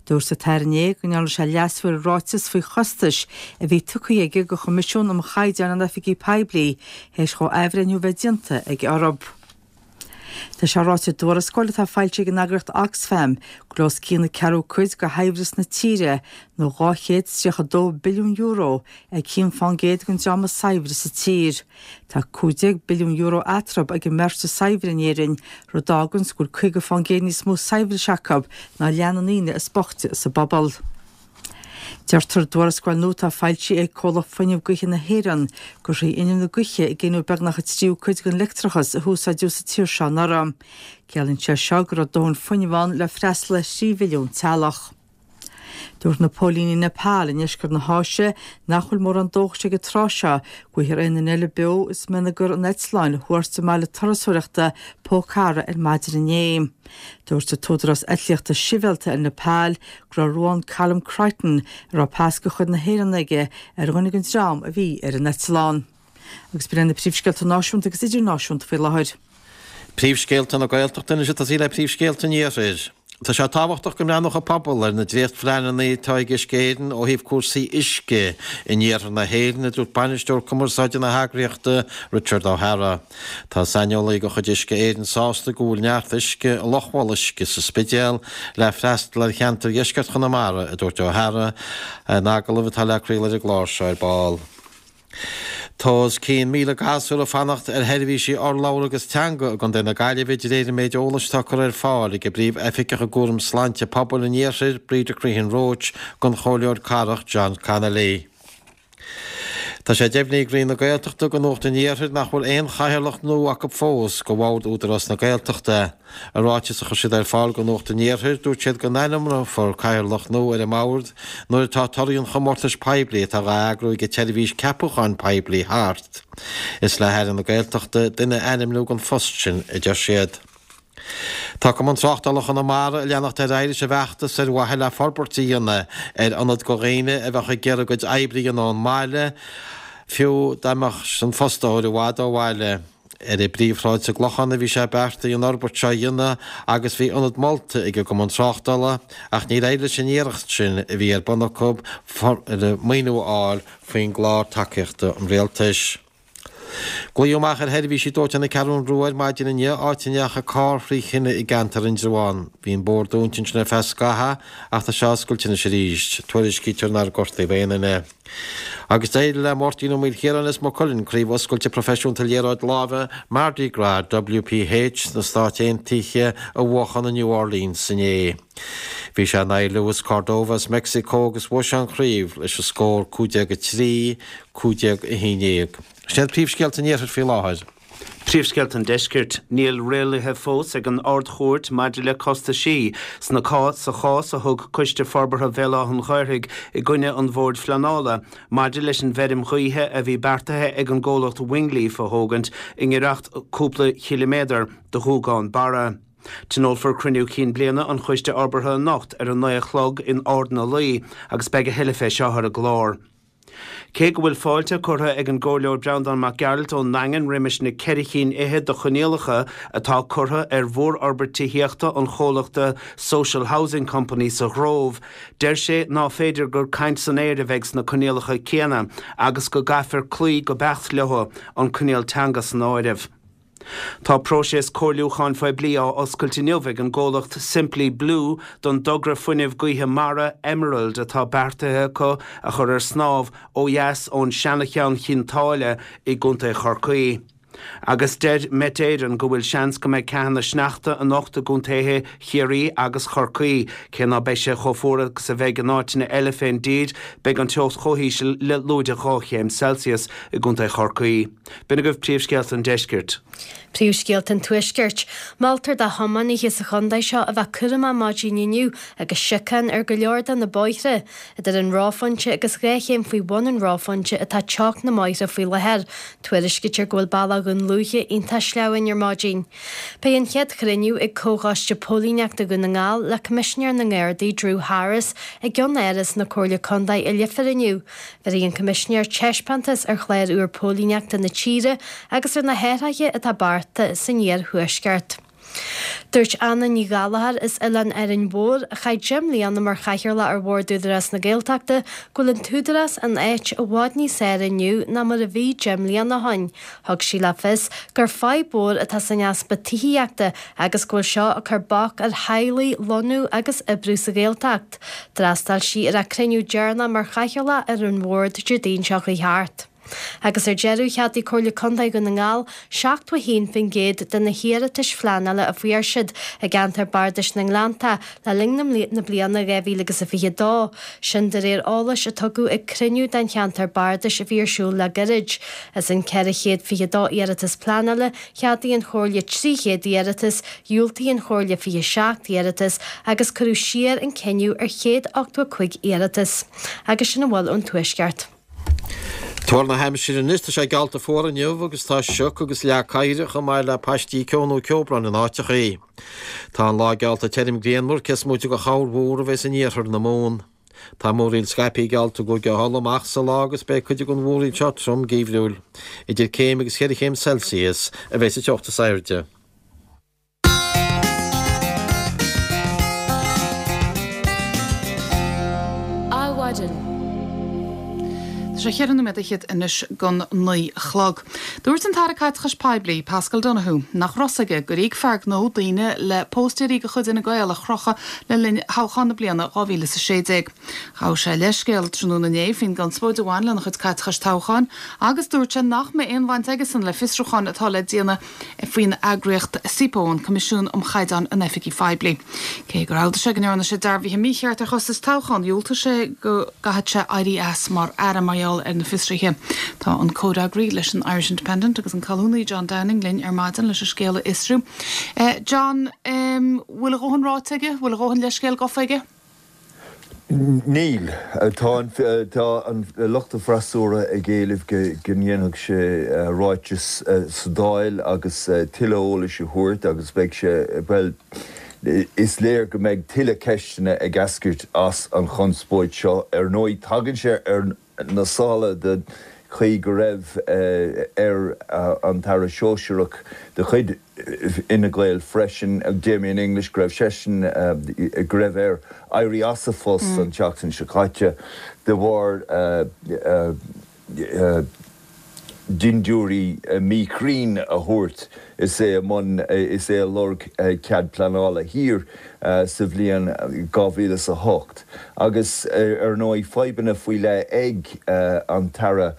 Dúirt an tAire inné go ndearna sé leasú ar an ráiteas faoi chostais a bhí tugtha aige do Choimisiún um Chaighdeáin in Oifigí Poiblí théis dhó athbhreithniú a bheith déanta aige orthu. Tá sé ráite i dtuarascáil atá foilsithe ag an eagraíocht Oxfam go bhfuil os cionn an ceathrú cuid de shaibhreas na tíre, nó dhá chéad is tríocha dó billiún euro, ag aon fán gcéad den dream is saibhre sa tír. Tá cúig déag billiún euro eatarthu ag an mbeirt is saibhre in Éirinn, rud a fháganns go bhfuil caoga fán gcéad níos mó saibhris acu ná leath na ndaoine is boichte sa bpobal. Deirtear i dtuarascáil nua atá foilsithe ag Comhlacht Fuinneamh Gaoithe na hÉireann gur thrí fhuinneamh na gaoithe a gineadh beagnach an tríú cuid den leictreachas a húsáideadh sa tír seo anuraidh. Ciallaíonn sé seo go raibh dóthain fuinnimh ann le freastal ar thrí mhilliún teaghlach. Dúirt na póilíní i Nepal i ndeisceart na hÁise nach bhfuil mórán dóchais ag an tráth seo go bhfaighfear aon duine eile beo as mionagar an eitleáin a thuairt i mbaile turasóireachta Pokhara ar maidin inné. Dúirt an tÚdarás Eitlíochta Sibhialta ar Nepal go raibh Ruan Callum Crichton, a raibh pas de chuid na hÉireann aige, ar dhuine den dream a bhí ar an eitleán. Agus b'in iad na príomhscéalta náisiúnta agus idirnáisiúnta faoi láthair. Príomhscéalta na Gaeltachta anois ag tosaí le príomhscéalta an Iarthair. Tá sé tábhachtach go mbreathnódh an pobal ar na dréachtphleananna atá ag Uisce Éireann ó thaobh cúrsaí uisce in iarthar na hÉireann, a dúirt bainisteoir cumarsáide na heagraíochta, Richard O'Hara. Tá saineolaí de chuid Uisce Éireann sásta go bhfuil neart uisce i Loch Mholuisce sa Spidéal le freastal ar cheantar dheisceart Chonamara, a dúirt O'Hara in agallamh atá le craoladh ar an gclár seo ar ball. Tá os cionn míle gasúr ag fanacht ar sheirbhísí urlabhra agus teanga i gContae na Gaillimhe de réir an méid eolais atá curtha ar fáil ag an bPríomh-Oifigeach i gCúram Sláinte Pobail an Iarthair, Breda Crehan Roche, don Chomhairleoir Cathrach John Connolly. Tá sé deimhnithe ag Roinn na Gaeltachta do Nuacht an Iarthair nach bhfuil aon chathaoirleach nua acu fós do Bhord Údarás na Gaeltachta. I ráiteas a chuir siad ar fáil do Nuacht an Iarthair, dúirt siad go n-ainmneofar cathaoirleach nua ar an mbord nuair atá torthaí an chomórtais poiblí atá á eagrú ag an tSeirbhís Ceapúcháin Poiblí thart. Is le hAire na Gaeltachta duine a ainmniú don phost sin, a deir siad. Tá Cumann Tráchtála Chonamara ag leanacht ar aghaidh leis an bhfeachtas ar mhaithe le forbairt a dhéanamh ar ionad do dhaoine a bheadh ag iarraidh a gcuid oibre a dhéanamh ón mbaile, fiú dá mbeadh an fostóir i bhfad ó bhaile. Ar an bPríomhshráid sa gClochán a bhí sé beartaithe an fhorbairt seo a dhéanamh agus bhí ionad molta ag an gCumann Tráchtála ach níor éirigh leis an iarracht sin a bhí ar bun acu maoiniú a fháil faoin gclár tacaíochta an Rialtais. Glaodh amach ar sheirbhísí dóiteáin na Ceathrún Rua ar maidin inniu, áit a ndeachaigh carr thrí thine i gceantar Indreabhán. Bhí an bóthar dúnta ansin ar feadh scaithimh ach tá sé oscailte anois arís. Tuairiscítear nár gortaíodh aon duine. Agus d'éirigh le Máirtín Ó Maoilchiaráin as Maigh Cuilinn Craobh Oscailte Proifisiúnta Liathróid Láimhe Mardi Gras WPH sna Stáit Aontaithe a bhuachan i New Orleans inné. Bhí sé in aghaidh Luis Cordova as Meicsiceo agus bhuaigh sé an chraobh leis an scór cúig déag a trí, cúig déag a haon déag. Sin iad príomhscéalta an Iarthair faoi láthair. Príomhscéalta an Deiscirt, Níl rialuithe fós ag an Ard-Chúirt maidir le costaisí sna sa chás a thug Coiste Forbartha Bhéal Átha an Ghaorthaidh i gcoinne an Bhoird Phleanála maidir leis an bhfeirm ghaoithe a bhí beartaithe ag an gcomhlacht Wingleaf a thógaint i ngiorracht cúpla chiliméadar do Ghuagán Barra. Tionólfar cruinniú cinn bliana an Choiste Fhorbartha anocht ar a naoi a chlog in Ard na Laoi agus beidh a thuilleadh fé seo ar an gclár. Cé go bhfuil fáilte curtha ag an gComhairleoir Breandán Mac Gearailt ón nDaingean roimis na ceithre chinn fhichead de choinníollacha atá curtha ar mhórfhorbairt tithíochta an chomhlachta Social Housing Company sa Ghrove, deir sé ná féidir gur caint san aer a bheidh sna coinníollacha céanna agus go gcaithfear cloí go beacht leo, an coinníoll teanga san áireamh. Tá próiseas comhairliúcháin phoiblí á oscailt inniu ag an gcomhlacht Simply Blue don dtogra fuinnimh gaoithe mara Emerald atá beartaithe acu a chur ar snámh ó dheas ón seancheann Chionn tSáile i gContae Chorcaí. Agus deir Met Éireann go bhfuil seans go mbeidh ceathanna sneachta anocht i gcontaetha Chiarraí agus Chorcaí. Cé ná beidh sé chomh fuar agus a bheidh in áiteanna eile fén dtír, beidh an teocht chomh híseal le lúide dhá chéim Celsius i gcontae Chorcaí. B'in agaibh príomhscéalta an deiscirt. Príomhscéalta an Tuaiscirt. Moltar do thiománaithe sa chontae seo a bheith cúramach maidin inniu agus siocán ar go leor de na bóithre. Idir an reophointe agus dhá chéim faoi bhun an reophointe atá teocht na mbóithre faoi láthair. Tuairiscítear go bhfuil bealach Dhún Lúiche iontach sleamhain ar maidin. Beidh an chéad chruinniú ag Comhchoiste Póilíneachta Dhún na nGall le Coimisinéir na nGardaí Drew Harris i gceann-áras na Comhairle Contae i Leifear inniu. Bhéarfaidh an Coimisinéir taispeántas ar chlár úr póilíneachta na tíre agus ar na hathruithe atá beartaithe san iarthuaisceart. Dúirt Anna Ní Ghallchóir as Oileán Árainn Mhór, a chaith deich mbliana mar chathaoirleach ar Bhord Údarás na Gaeltachta, go bhfuil an t-údarás in áit i bhfad níos fearr inniu ná mar a bhí deich mbliana ó shin. Thug sí le fios gur fadhb mhór atá san easpa tithíochta agus go bhfuil seo ag cur bac ar theaghlaigh lonnú agus oibriú sa Ghaeltacht. D'fhreastail sí ar a cruinniú deireanach mar chathaoirleach ar an bhord Déardaoin seo chuaigh thart. Agus ar deireadh, cheadaigh Comhairle Contae Dhún na nGall seachtó a haon faoin gcéad de na hiarratais phleanála a fuair siad i gceantar Bardais na nGleannta le linn na bliana dhá mhíle agus a fiche dó. Sin de réir eolais a tugadh ag cruinniú den cheantar bardais a bhí ar siúl le gairid. As an ceithre chéad fiche dó iarratas pleanála, cheadaigh an Chomhairle trí chéad iarratas, dhiúltaigh an Chomhairle fiche seacht iarratas agus cuireadh siar an cinneadh ar chéad ochtó a cúig iarratas. Agus sin a bhfuil ón Tuaisceart. Tuar na haimsire anois, tá sé geallta fuar inniu agus tá sioc agus leá caidhre chomh maith le paistí ceo nó ceobhrán in áiteachaí. Tá an lá geallta tirim grianmhar, cé is móite de chorrmhúr a bheas in iarthar na Mumhan. Tá múraíl scaipthe geallta i gCúige Uladh amach sa lá agus beidh cuid den mhúraíl seo trom geimhriúil. Idir céim agus cheithre chéim Celsius a bheas an teocht is airde. Adhmhaidin. Tá sé cheithre nóiméad fhichead anois don naoi a chlog. Dúirt an tAire Caiteachais Poiblí, Paschal Donohoe, nach raibh fhios aige gur íoc fear gnó daoine le póstaeirí de chuid Fhine Gael a chrochadh le linn thoghchán na bliana dhá mhíle is a sé déag. Ghabh sé leithscéal tráthnóna inné faoin gconspóid a bhain lena chuid caiteachais toghcháin agus dúirt sé nach mbeidh aon bhaint aigesan le fiosrúchán atá le déanamh faoin eagraíocht SIPO, an Coimisiún um Chaighdeáin in Oifigí Phoiblí. Cé gur admhaigh sé go ndearna sé dearbhuithe mícheart ar chostais toghcháin, dhiúltaigh sé go gcaithfeadh sé éirí as mar aire mar gheall ar na fiosruithe. Tá an comhfhreagraí leis an Irish Independent agus an colúnaí John Downing linn ar maidin leis an scéal a fhiosrú. John, bhfuil a dhóthain ráite aige? Bhfuil a dhóthain leithscéal gafa aige? Níl. Tá an tá an lucht an fhreasúra ag éileamh go go ndéanfadh sé ráiteas sa Dáil agus tuilleadh eolais a thabhairt agus beidh sé, bhuel, is léir go mbeidh tuilleadh ceisteanna ag eascairt as an chonspóid seo. Ar ndóigh, tagann sé ar na sála den chaoi go raibh ar an tAire Sóisearach de chuid Fhine Gael freisin, Damien English, go raibh seisean, go raibh air éirí as a phost an tseachtain seo caite de bharr dindiúirí míchruinn a thabhairt is é i mbun, is é ag lorg cead pleanála thiar sa bhliain dhá mhíle is a hocht. Agus ar ndóigh fadhbanna faoi leith ag an tAire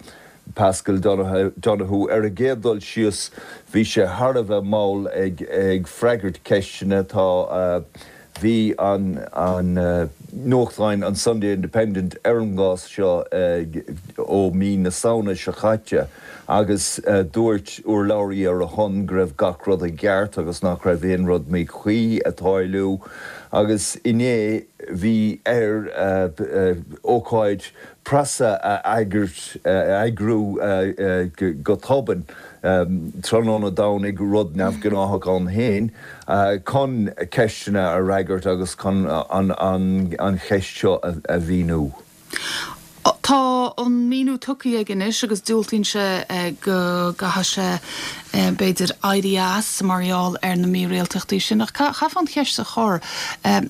Paschal Donohoe. Ar an gcéad dul síos bhí sé thar a bheith mall ag freagairt ceisteanna. Tá bhí an an nuachtáin an Sunday Independent ar an gcás seo ó mí na Samhna seo caite agus dúirt urlabhraí ar a shon go raibh gach rud i gceart agus nach raibh aon rud míchuí ag tarlú agus inné bhí air ócáid preasa a eagrú go tobann tráthnóna Domhnaigh, rud neamhghnáthach ann féin, chun ceisteanna a fhreagairt agus chun an cheist seo a mhíniú. Tá an míniú tugtha aige anois agus diúltaíonn sé go gcaithfidh sé b'fhéidir éirí as mar gheall ar na mírialtachtaí sin. Ach chaithfeá an cheist a chur,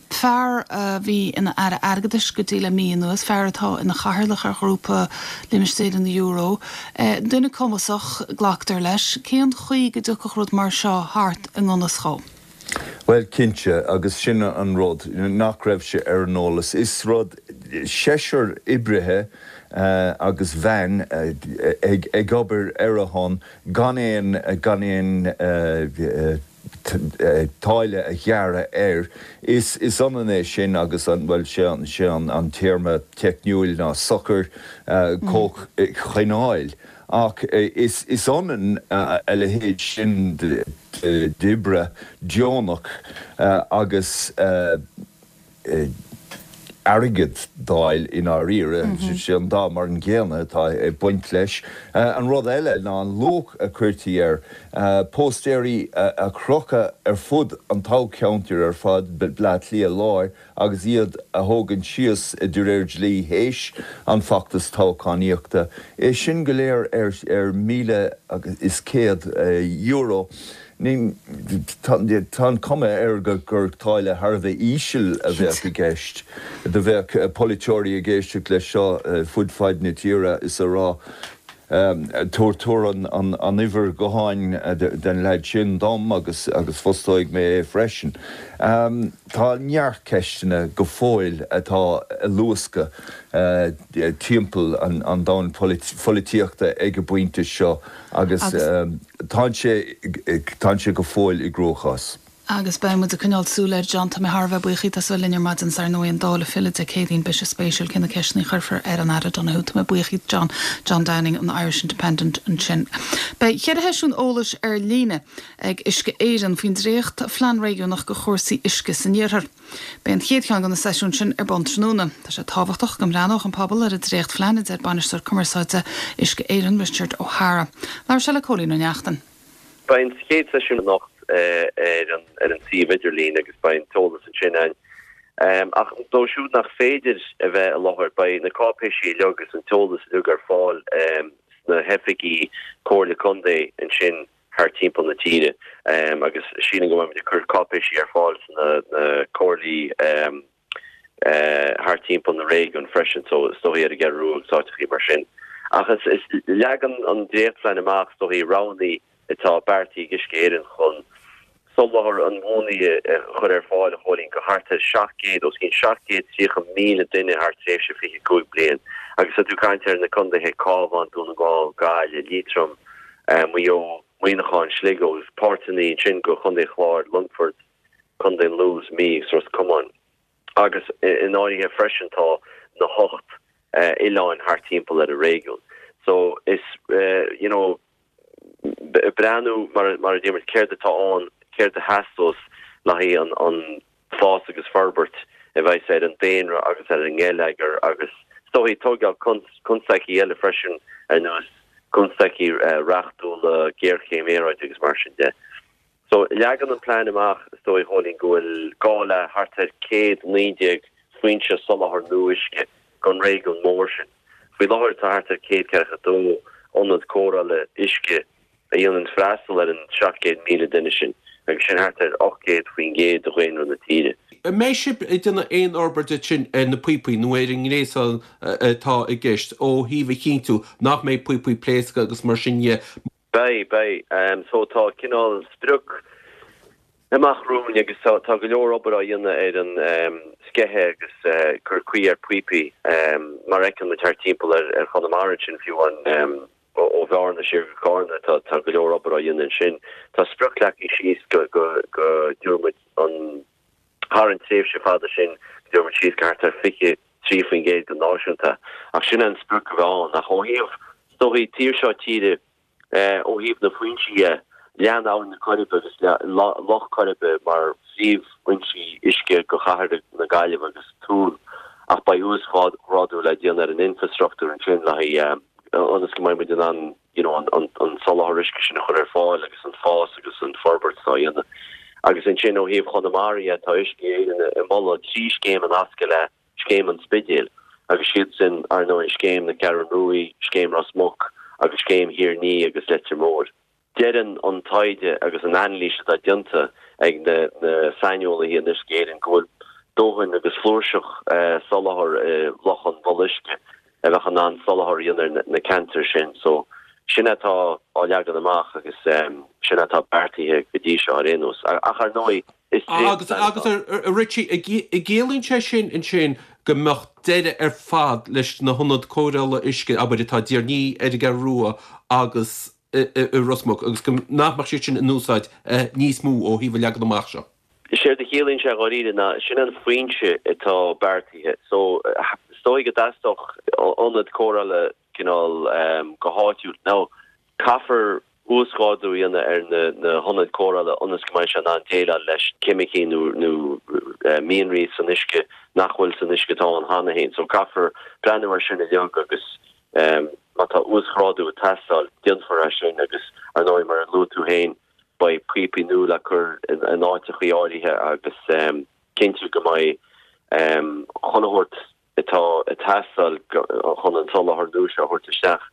fear a bhí ina Aire Airgeadais go dtí le mí anuas, fear atá ina chathaoirleach ar ghrúpa limistéir an euro, duine cumasach, glactar leis, cén chaoi go dtiocfadh rud mar seo thart i ngan fhios dhó? Bhuel, cinnte, agus sin an rud, nach raibh sé ar an eolas. Is rud, seisear oibrithe agus bhean ag obair ar a shon gan aon, gan aon táille a ghearradh air. Is, is ionann é sin agus an, bhuel, sé an, sé an téarma teicniúil ná sochar comhchineáil. Ach is ionann a leithéid sin d'oibre deonach agus airgead d'fháil i ndáiríre. Sé an dá mar an gcéanna atá ag baint leis. An rud eile ná an luach a chuirtí air, póstaeirí a chrochadh ar fud an toghcheantair ar fad, Bleá Cliath Láir, agus iad a thógaint síos de réir dlí théis an feachtas toghchánaíochta, é sin go léir ar míle is céad euro. Tá an chuma air gur táille thar a bheith íseal a bheadh i gceist. Do bheadh polaiteoirí ag éisteacht leis seo fud fad na tíre is a rá, Tabhair tabhair an uimhir ghutháin den leaid sin dom agus agus fostóidh mé é freisin. Tá neart ceisteanna go fóill atá ag luascadh timpeall an domhain pholaitíochta ag an bpointe seo agus tá sé tá sé go fóill i gcruachás. Agus beidh muid ag coinneáil súil air, John. Tá mé thar a bheith buíoch díot as a bheith linn ar maidin. 'S ar ndóigh an Dáil ag filleadh Dé Céadaoin, beidh sé spéisiúil cé na ceisteanna a chuirfear ar an Aire Donohoe. Tá mé buíoch díot, John. John Downing an Irish Independent ansin. Beidh ceithre sheisiún eolais ar líne ag Uisce Éireann faoin dréacht Phlean Réigiúnach do chúrsaí uisce san Iarthar. Beidh an chéad cheann de na seisiúin sin ar bun tráthnóna. Tá sé tábhachtach go mbreathnódh an pobal ar an dréachtphlean, a deir Bainisteoir Cumarsáide Uisce Éireann, Richard O'Hara. Labhair sé le Cóilín Ó Neachtain. Beidh an chéad seisiún anocht ar an ar an suíomh idirlín agus beidh an t-eolas ansin ann. Ach dóibh siúd nach féidir a bheith i láthair, beidh na cáipéisí uilig agus an t-eolas uilig ar fáil sna hoifigí Comhairle Contae ansin thar timpeall na tíre agus sílim go mbeidh muid ag cur cáipéisí ar fáil sna comhairlí thar timpeall na réigiún freisin, so is dóichí ar an gCeathrú Rua agus áiteachaí mar sin. Ach is leagann an dréachtphlean amach is dóichí roghanna atá beartaithe ag Uisce Éireann chun soláthar inbhuanaithe a chur ar fáil a Chóilín do thart ar seacht gcéad, os cionn seacht gcéad tríocha míle duine thar tréimhse fiche cúig bliain. Agus tá tú ag caint ar na contaetha Cabhán, Dún na nGall, Gaillimh, Liatroim, Maigh Eo, Muineachán, Sligo agus páirteanna ansin de Chontae an Chláir, Longfort, Contae an Lú, Mí agus Ros Comáin. Agus in áirithe freisin tá na hocht oileáin thart timpeall ar an réigiún. So is, you know, breathnú mar mar a deir muid céard atá ann, céard a theastós le haghaidh an an fás agus forbairt a bheas ar an daonra agus ar an ngeilleagar agus is dóichí tógáil constaicí eile freisin ar nós constaicí reachtúla, géarchéim aeráide agus mar sin de. So leagann an plean amach is dóigh a Chóilín go bhfuil gá le thart ar céad naoi déag foinse soláthair nua uisce don réigiún mór sin. Faoi láthair tá thart ar céad ceathracha dó ionad cóireála uisce a dhéanann freastal ar an seacht gcéad míle duine sin, agus sin thart ar ocht gcéad faoin gcéad de dhaonra na tíre. An mbeidh sibh ag déanamh aon fhorbairt ansin ar na píopaí nó ar an ngréasán atá i gceist ó thaobh a chinntiú nach mbeidh píopaí pléasctha agus mar sin dhe? Beidh, beidh. So tá cineál sprioc amach romhainn agus tá go leor obair á dhéanamh ar an sceitheadh agus cur cuí ar phíopaí mar a fheiceann muid thart timpeall ar Chonamara ansin fiú amháin ó Bhearna siar go Carna tá tá go leor obair á dhéanamh ansin. Tá sprioc leagtha síos go go go dtabharfaidh muid an thar an tréimhse fada sin go dtabharfaidh muid síos go thart ar fiche trí faoin gcéad go náisiúnta ach sin an sprioc a bheidh ann ach ó thaobh is dóichí taobh seo tíre Ó thaobh na foinsí dhe, lean Abhainn na Coiribe agus Loch Coiribe mar phríomhfhoinsí uisce do chathair na Gaillimhe agus túr, ach beidh uasghrádú le déanamh ar an infreastruchtúr ansin le haghaidh ionas go mbeidh muid in ann you know an soláthar uisce sin a chur ar fáil agus an fás agus an forbairt atá á dhéanamh. Agus ansin ó thaobh Chonamara dhe, tá Uisce Éireann ag moladh trí scéim a nascadh le Scéim an Spidéil Agus siad sin, ar ndóigh, Scéim na Ceathrún Ruaidh, Scéim Ros Muc agus Scéim Thír an Fhia agus Leitir Móir. Deireann an taighde agus an anailís atá déanta ag na saineolaithe in Uisce Éireann go bhfuil dóthain agus flúirseach soláthar i Loch an Mhullaigh Uisce a bheadh in ann soláthar a dhéanamh ar na ceantair sin. So, sin atá á leagan amach agus sin atá beartaithe go dtí seo ar aon nós. Ach ar ndóigh, is Agus, agus a Richie, an gciallaíonn sé sin ansin go mbeadh deireadh ar fad leis na hionaid cóireála uisce, abair, atá i dTír an Fhia, ar an gCeathrú Rua agus i Ros Muc, agus go nach mbeadh siad sin in úsáid níos mó ó thaobh an leagan amach seo? Séard a chiallaíonn sé dháiríre ná sin an foinse atá beartaithe. So, is dóigh go dteastódh ionad cóireála cineál go háitiúil. Now, caithfear uasghrádú a dhéanamh ar na na hionaid cóireála ionas go mbeidh sé in ann déileáil leis ceimicí nó nó mianraí san uisce nach bhfuil san uisce atá ann cheana féin. So caithfear breathnú air sin uilig agus má tá uasghrádú ag teastáil, déanfar é sin agus ar ndóigh mar a luaigh tú féin beidh píopaí nua le cur in áiteachaí áirithe agus cinntiú go mbeidh chuile shórt atá ag teastáil chun an soláthar nua seo a thabhairt isteach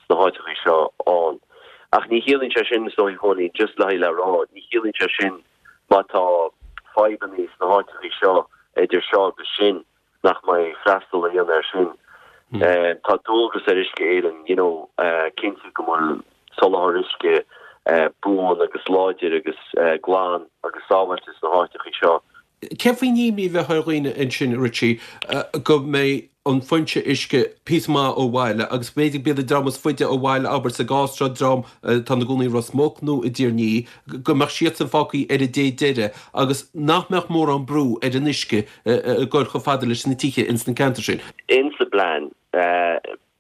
sna háiteachaí seo ann. Ach ní chiallaíonn sé sin, is dóigh, Chóilín, just le haghaidh le rá, ní chiallaíonn sé sin má tá fadhbannaí sna háiteachaí seo idir seo agus sin nach mbeidh freastal á dhéanamh air sin. Tá dualgas ar Uisce Éireann, you know, cinntiú go bhfuil soláthar uisce buan agus láidir agus glan agus sábháilte sna háiteachaí seo. Cén faoin imní a bheadh ar dhaoine ansin, Richie, go mbeidh an foinse uisce píosa maith ó bhaile agus b'fhéidir b'iad an dream is faide ó bhaile, abair sa gcás seo, dream atá ina gcónaí i Ros Muc nó i dTír an Fhia, go mbeadh siadsan fágtha ar an dé deiridh agus nach mbeadh mórán brú ar an uisce ag goil chomh fada leis na tithe ins na ceantair sin. Insa bplean,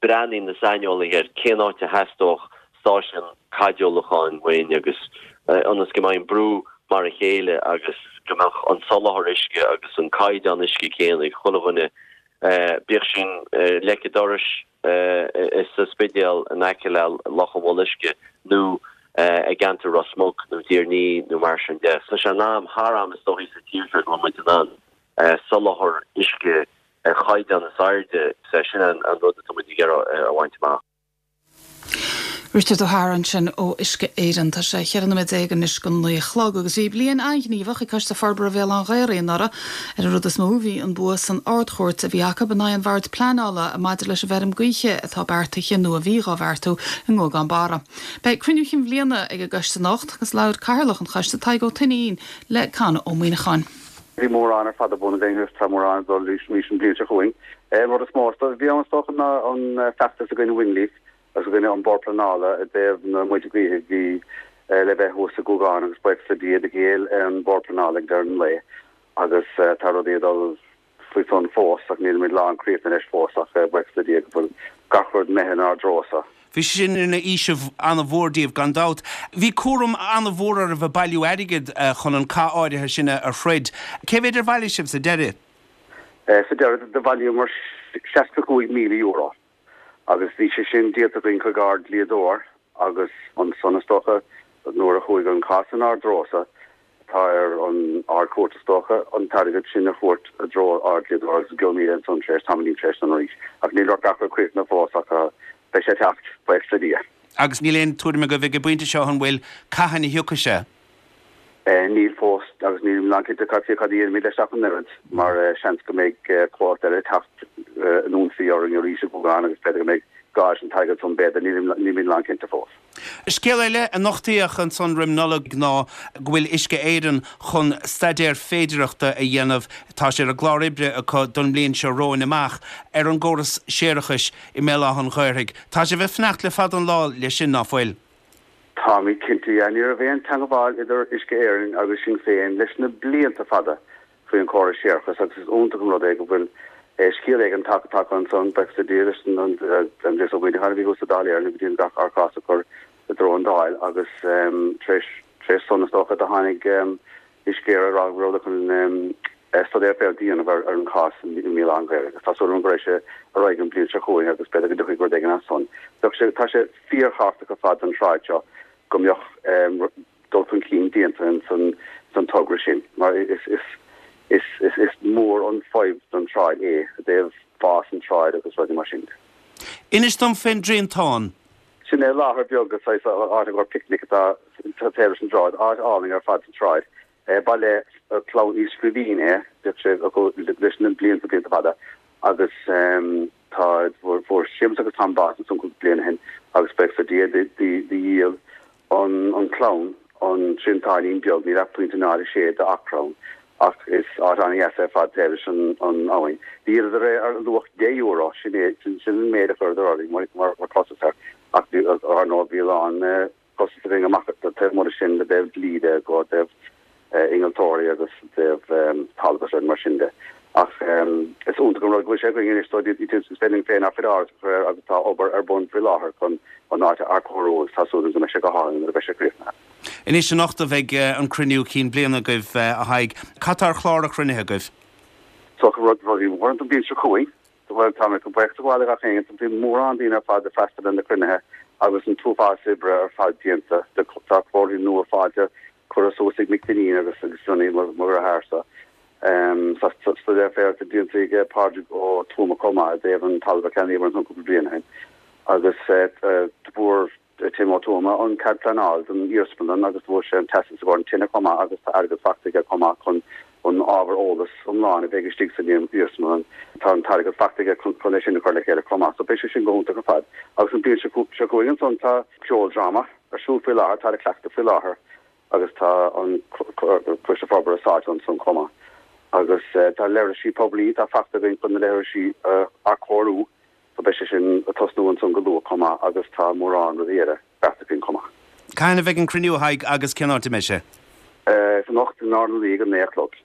breathnaíonn na saineolaithe ar cén áit a theastódh stáisiún caidéalúcháin uainn agus ionas go mbeidh an brú mar a chéile agus go mbeadh an soláthar uisce agus an caighdeán uisce céanna ag chuile dhuine, bíodh sin leic an dorais sa Spidéal in aice le Loch an Mhullaigh Uisce nó i gceantar Ros Muc nó Tír an Fhia nó mar sin de. Tá sé in am, thar am is dóichí sa tír seo go bhfuil muid in ann soláthar uisce ar chaighdeán is airde, sin an rud atá muid ag iarraidh a bhaint amach. Richard O'Hara ansin ó Uisce Éireann. Tá sé cheithre nóiméad déag anois go naoi a chlog agus bhí bliain an-ghníomhach ag Coiste Forbartha Bhéal Átha an Ghaorthaidh anuraidh. Ar an rud is mó bhí an bua san Ard-Chúirt a bhí acu in aghaidh an Bhoird Pleanála maidir leis an bhfeirm gaoithe atá beartaithe nó a bhí dhá bheartú i nGuagán Barra. Beidh cruinniú chinn bhliana ag an gcoiste anocht agus labhair Cathaoirleach an choiste Tadhg Ó Tuinnín le Con Ó Muíneacháin. Bhí mórán ar fad ar bun againn agus tá mórán ag dul arís an bhliain seo chugainn. An rud is mó a bhí ann is dócha ná an feachtas i gcoinne Windleaf agus i gcoinne an Bord Pleanála i dtaobh na muilte gaoithe a bhí le bheith thuas i gCúgán agus buíochas le Dia do ghéill an Bord Pleanála ag deireadh an lae agus tá rudaí ag dul faoi san fós ach nílimid lán críochnaithe leis fós ach buíochas le Dia go bhfuil gach rud imithe inár dtreo-sa. Bhí sé sin ina fhaoiseamh an-mhór daoibh gan dabht. Bhí cúram an-mhór oraibh ag bailiú airgid chun an cath áirithe sin a throid. Cé mhéad ar bhailigh sibh sa deireadh? Sa deireadh do bhailíomar seasca cúig míle euro. Agus bhí sé sin díolta againn chuig ár dlíodóir agus ansan is dócha nuair a chuaigh an cás inár dtreo-sa, tá ar an Ard-Chúirt is dócha an t-airgead sin a thabhairt i dtreo ár dlíodóir agus gheobhaimid ansan tar éis tamaillín tar éis san arís. Ach níl gach rud críochnaithe fós ach beidh sé ag teacht, buíochas le Dia. Agus níl aon tuairim agaibh ag an bpointe seo an bhfuil cathain a thiocfaidh sé? Níl fós, agus nílim lánchinnte cad cad a dhéanfaimid leis ach an oiread, mar seans go mbeidh comhlacht eile ag teacht in ionsaí orainn arís i gCúgán agus b'fhéidir go mbeidh gá leis an t-airgead san, b'fhéidir, nílimid lánchinnte fós. Scéal eile a nochtaíodh ansan roim Nollaig ná go bhfuil Uisce Éireann chun staidéar féidearthachta a dhéanamh, tá sé ar a gclár oibre acu don mbliain seo romhainn amach, ar an gcóras séarachais i mBéal Átha an Ghaorthaidh. Tá sibh ag fanacht le fada an lá leis sin, ná fuil? Táimid cinnte, yeah. Ní raibh aon teangabháil idir Uisce Éireann agus sinn féin leis na blianta fada faoi an córas séarachais agus is iontach an rud é go bhfuil scéal éigin tagtha tagtha ansan, buíochas le Dia leis an Aindrias Ó Muimhneacháin a bhí thuas sa Dáil Éireann go dtí an gach ár cás a chur i dtreo an Dáil agus tar éis tar éis san is dócha do tháinig Uisce Éireann ag rá go rabhadar chun staidéar féidearthachta a dhéanamh ar an chás i mBéal Átha an Ghaorthaidh agus tá súil agam go raghaidh sé ar aghaidh an bhliain seo chugainn agus b'fhéidir go dtiocfaidh rud éigin as san. Bheadh sé, tá sé fíorthábhachtach ar fad don tsráid seo go mbeadh dul chun cinn déanta ins an togra sin mar is, is, is, is, is mór an fadhb don tsráid é i dtaobh fás an tsráid agus rudaí mar sin. Inis dom fén dTriantán. Sin é láthair beag saghas áit i gcomhair picnic atá taobh leis an tsráid, áit álainn ar fad sa tsráid. Ba le clann Uí Scríbhín é, bhíodh sé acu leis na blianta blianta fada agus tá fuair Séamus agus Tom bás ansan cúpla bliain ó shin agus buíochas le Dia do dhíol an chlann an triantáinín beag, níl ach pointe náid a sé d'acra ann ach is áit an-dheas ar fad taobh leis an abhainn. Dhíoladar é ar luach deich euro, sin é, sin an méid a chuireadar orainn mar chostas air ach ar ndóigh bhí a lán costas againn amach taobh amuigh de sin i dtaobh dlí de, go dtaobh innealtóirí agus i dtaobh talamh agus rudaí mar sin de. Ach is iontach an rud go bhfuil sé againn anois, so is féidir linn féin ár gcuid áras a chur air agus tá obair ar bun faoi láthair chun an áit a athchóiriú agus tá súil agam go mbeidh sé go hálainn nuair a bheidh sé críochnaithe. Anois anocht a bheidh an cruinniú cinn bliana agaibh, a Thaidhg. Cad tá ar chlár an chruinnithe agaibh? So rudaí móra don bhliain seo chugainn. Bhuel, tá mé chun buíochas a ghabháil le gach éinne. Bhí mórán daoine ar fad ag freastal ar na cruinnithe agus an t-uafás oibre ar fad déanta. Tá comharthaí nua faighte curtha suas ag Mick Dineen agus agus Johnny mo dheartháir-sa. Tá staidéar féideartha déanta ag Pádraig Ó Tuama chomh maith i dtaobh an talamh a ceannaíomar ansan cúpla bliain ó shin. Agus fuair Tim Ó Tuama an cead pleanála don iarsmalann agus fuair sé an teastas i gcomhair an tine chomh maith agus tá airgead faighte aige chomh maith chun an ábhar eolais iomlán a bheidh istigh san iarsmalann. Tá an t-airgead faighte aige chun é sin a chur le chéile chomh maith. So beidh sé sin go hiontach ar fad. Agus an bhliain seo chugainn ansan tá ceoldráma ar siúl faoi láthair, tá ag cleachtadh faoi láthair agus tá an Coiste Forbartha sáite ansan chomh maith. Agus tá leithrisí poiblí, tá faighte againn chun na leithrisí a athchóiriú so beidh sé sin ag tosnú ansan go luath chomh maith agus tá mórán rudaí eile beartaithe againn chomh maith. Cathain a bheidh an cruinniú, a Thaidhg, agus cén áit a mbeidh sé? Is anocht in Ard na Laoi ag a naoi a chlog,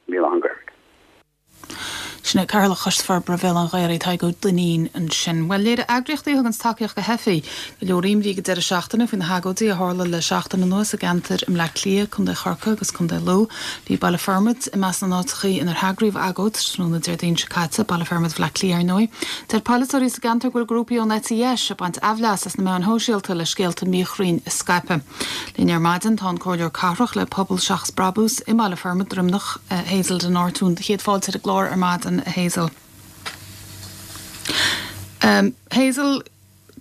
i mBéal Átha an Ghaorthaidh. Sin é Cathaoirleach Choiste Forbartha Bhéal Átha an Ghaorthaidh, Tadhg Ó Duinnín ansin. Bhuel, léirigh eagraíochtaí a thuganns tacaíocht do theifigh go leor imní ag an deireadh seachtaine faoi na hagóidí a tharla le seachtain anuas i gceantair i mBleá Cliath, Contae Chorcaí agus Contae Lú. Bhí Baile Formaid i measc na n-áiteachaí inar heagraíodh agóid tráthnóna Déardaoin seo caite, Baile Formaid Bhaile Átha Cliath ar ndóigh. Deir polaiteoirí sa gceantar go bhfuil grúpaí ón eite dheis ag baint aimhleas as na meáin shóisialta le scéalta míchruinn a scaipeadh. Linn ar maidin tá an Comhairleoir Cathrach le Pobal Seachas Brabús i mBaile Formaid, Droimneach, Hazel de Nortún. Céad fáilte ar an gclár ar maidin, a Hazel. Hazel,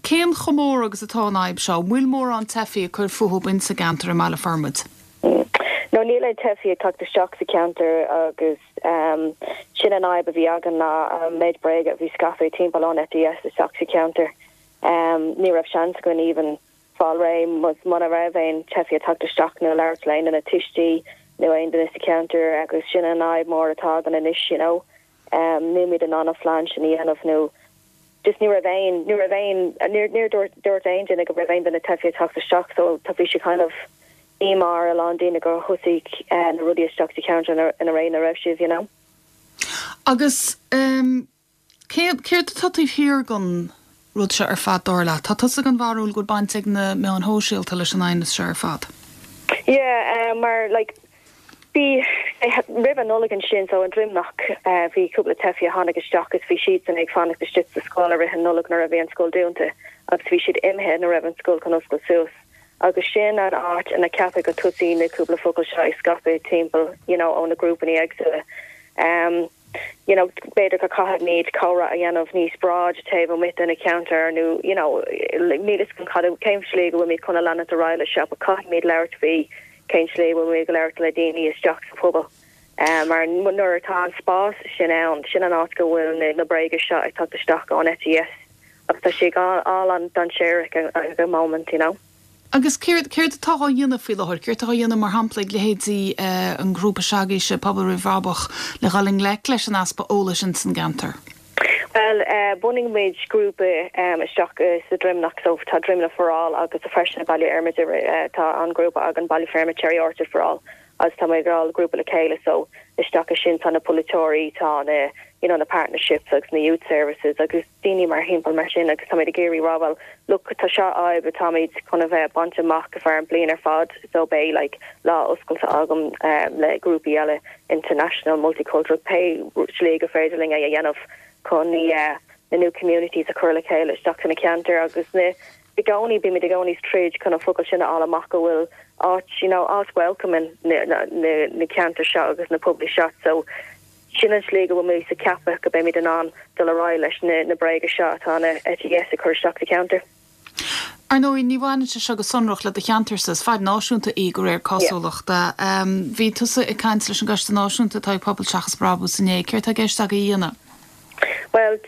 cén chomh mór agus atá an fhadhb seo? An bhfuil mórán teifigh ag cur fúthu insa gceantar i mBaile Formaid? No, níl aon teifigh ag teacht isteach sa cheantar agus sin an fhadhb a bhí againn ná an méid bréaga a bhí scaipthe timpeall ón eite dheis isteach sa cheantar. Ní raibh seans againn even fáil réidh muna raibh aon teifigh ag teacht isteach nó labhairt le aon duine tuistí nó aon duine sa cheantar agus sin an fhadhb mór atá againn anois you know. Nílimid in ann an phlean sin a dhéanamh nó just ní raibh aon, ní raibh aon, níor, níor dúirt, dúirt aon duine go raibh aon duine teifigh ag teacht isteach so tá, bhí sé kind of díomá ar a lán daoine gur thosaigh na rudaí isteach sa cheantar ina ré ina raibh sibh you know. Agus ehm céard, céard atá taobh thiar den rud seo ar fad dar leat? Tá tusa den bharúil go bhfuil baint ag na meáin shóisialta leis an aighneas seo ar fad? Yeah, mar like bhí roimh an Nollaig ansin so i nDroimneach bhí cúpla teifigh a tháinig isteach agus bhí siadsan ag fanacht istigh sa scoil i rith an Nollaig nuair a bhí an scoil dúnta agus bhí siad imithe nuair a raibh an scoil chun oscailt suas agus sin an áit ina ceapadh go tosaigh na cúpla focal seo ag scaipeadh timpeall you know ó na grúpanna éagsúla. Um you know b'fhéidir go caithfimid comhrá a dhéanamh níos bráid taobh amuigh de na ceantair nó you know níl fhios agam cad cén slí go bhfuilimid chun a leanacht ar aghaidh leis seo but caithfimid labhairt faoi cén slí a bhfuilimid ag labhairt le daoine isteach sa phobal mar nuair atá an spás sin ann sin an áit go bhfuil na na bréaga seo ag teacht isteach ón eite dheis agus tá sé an-dainséarach ag an moment you know. Agus céard, céard atá á dhéanamh faoi láthair? Céard atá á dhéanamh mar shampla ag leithéidí an ghrúpa s'agaibhse, Pobal Roimh Bhrabach, le dhul i ngleic leis an easpa eolais ins an gceantar? Bhuel, bhunaigh muid grúpa isteach sa Droimneach, so tá Droimneach for All agus freisin i Baile Fheirmid tá an grúpa againn Baile Feirme Cherry Orchard for All agus tá muid all grúpa le chéile so isteach ansin tá na polaiteoirí, tá na you know na partnerships agus na youth services agus daoine mar thimpeall mar sin agus táimid ag iarraidh rá bhuel look tá seo fhadhb atáimid chun a bheith baint amach go feadh an bliain ar fad so beidh like lá oscailte agam um, le grúpaí eile international multicultural pé slí gur féidir linn é a dhéanamh chun yeah, na new communities a chur le chéile isteach sna ceantair agus na i gcónaí bímid i gcónaí troid chun an focal sin a fháil amach go bhfuil áit you know áit welcoming na na na, na ceantair seo agus na pobail seo so Sin an slí go bhfuil muid ag ceapadh go mbeimid in ann dul ar aghaidh leis na na bréaga seo atá na eite dheis ag cur isteach sa cheantar. Ar ndóigh, ní bhaineann sé seo go sonrach le do cheantarsa, is fadhb náisiúnta í de réir cosúlachta. Bhí tusa ag caint leis an gCoiste Náisiúnta atá ag Pobal Seachas Brabús inné, céard tá i gceist agaibh a dhéanamh? Bhuel,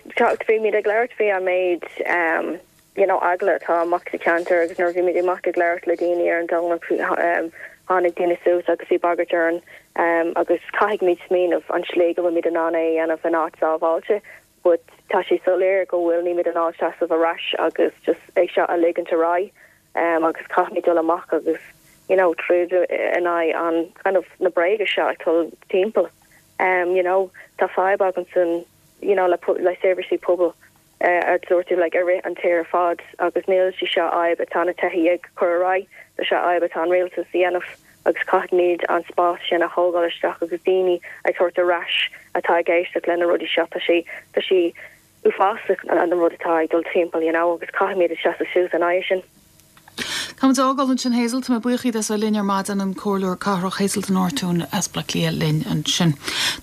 bhí muid ag labhairt faoi an méid um, you know, eagla atá amach sa cheantar agus nuair bhí muid amach ag labhairt le daoine ar an Domhnach um, tháinig daoine suas agus bhí bagairt orainn um, agus caithfimid smaoineamh an slí go bhfuil muid in ann é a dhéanamh in áit sábháilte. But tá sé soiléir go bhfuil nílimid in ann seasamh ar ais agus just é seo a ligint ar aghaidh um, agus caithfimid dul amach agus you know, troid in aghaidh an kind of na bréaga seo ag dul timpeall. Um, you know, tá fadhb againn san you know, le, le seirbhísí pobail uh, a dúirt like, ar rith an tír fad agus níl sé seo fadhb atá na teachtaí ag cur ar aghaidh, tá sé fadhb atá an rialtas a dhéanamh agus caithfimid an spás sin a thógáil isteach agus daoine ag tabhairt ar ais atá ag éisteacht lena rudaí seo tá sé tá sé uafásach an rud atá ag dul timpeall you know, agus caithfimid seasamh suas in aghaidh sin. Táimid á fhágáil ansin Hazel tá mé buíoch díot as a bheith linn ar maidin an Comhairleoir Cathrach Hazel de Nortún as Baile Átha Cliath linn ansin.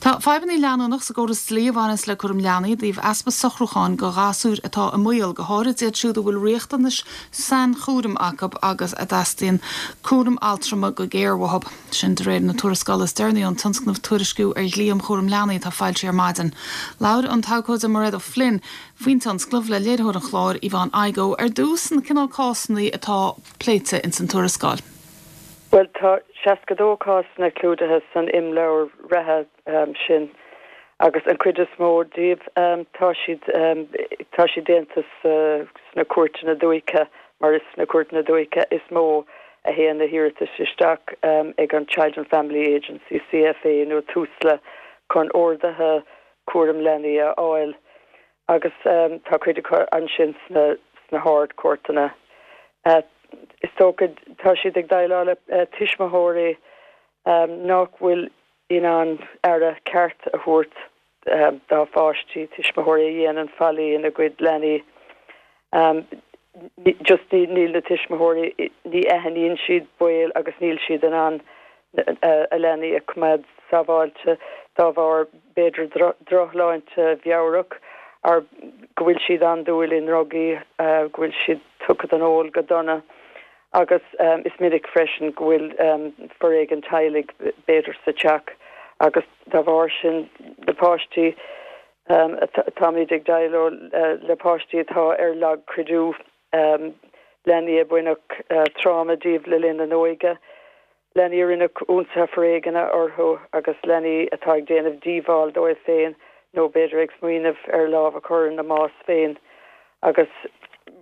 Tá fadhbanna leanúnach sa gcóras dlí a bhaineas le cúram leanaí i dtaobh easpa socrúcháin do ghasúir atá i mbaol go háirid iad siúd a bhfuil riachtanais sainchúraim acu agus a dteastaíonn cúram altrama go géar uathu. Sin de réir na tuarascála is deireanaí ón tionscnamh Tuairisciú ar Dhlí um Chúram Leanaí atá foilsithe ar maidin. Labhair an t-abhcóide Mairéad O'Flynn faoin tionscnamh le léiritheoir an chláir Yvonne Igoe ar dtús na cineál cásanna atá pléite in san tuarascáil. Well tá seasca dó cásanna clúdaithe san imleabhar reatha um, sin agus an chuid is mó díobh um, tá siad um, tá siad déanta sna cúirteanna dúiche mar is sna cúirteanna dúiche is mó a théann na hiarratais isteach um, ag an Child and Family Agency C F A nó Tusla chun orduithe cúram leanaí a fháil agus um, tá cuid acu ansin sna sna hardchúirteanna. Uh, is dócha tá siad ag déileáil le uh, tuismitheoirí um, nach bhfuil in ann aire ceart a thabhairt um, dá bpáistí tuismitheoirí a dhéanann faillí ina gcuid leanaí. Um, just níl na tuismitheoirí ní aithníonn siad baol agus níl siad in ann a leanaí a choimeád sábháilte dá bharr b'fhéidir drochshláinte mheabhrach ar go bhfuil siad an-dúil i ndrugaí go bhfuil siad tugtha don ól go dona agus um, is minic freisin go bhfuil um, foréigean teaghlaigh b'fhéidir sa teach agus dá bharr sin na páistí um, táimid ag déileáil uh, le páistí atá ar lagchuidiú um, leanaí a baineadh uh, tráma díobh le linn na n-óige. Leanaí a rinneadh ionsaithe foréigneacha orthu agus leanaí atá ag déanamh díobháil dóibh féin nó b'fhéidir ag smaoineamh ar lámh a chur ina mbás féin agus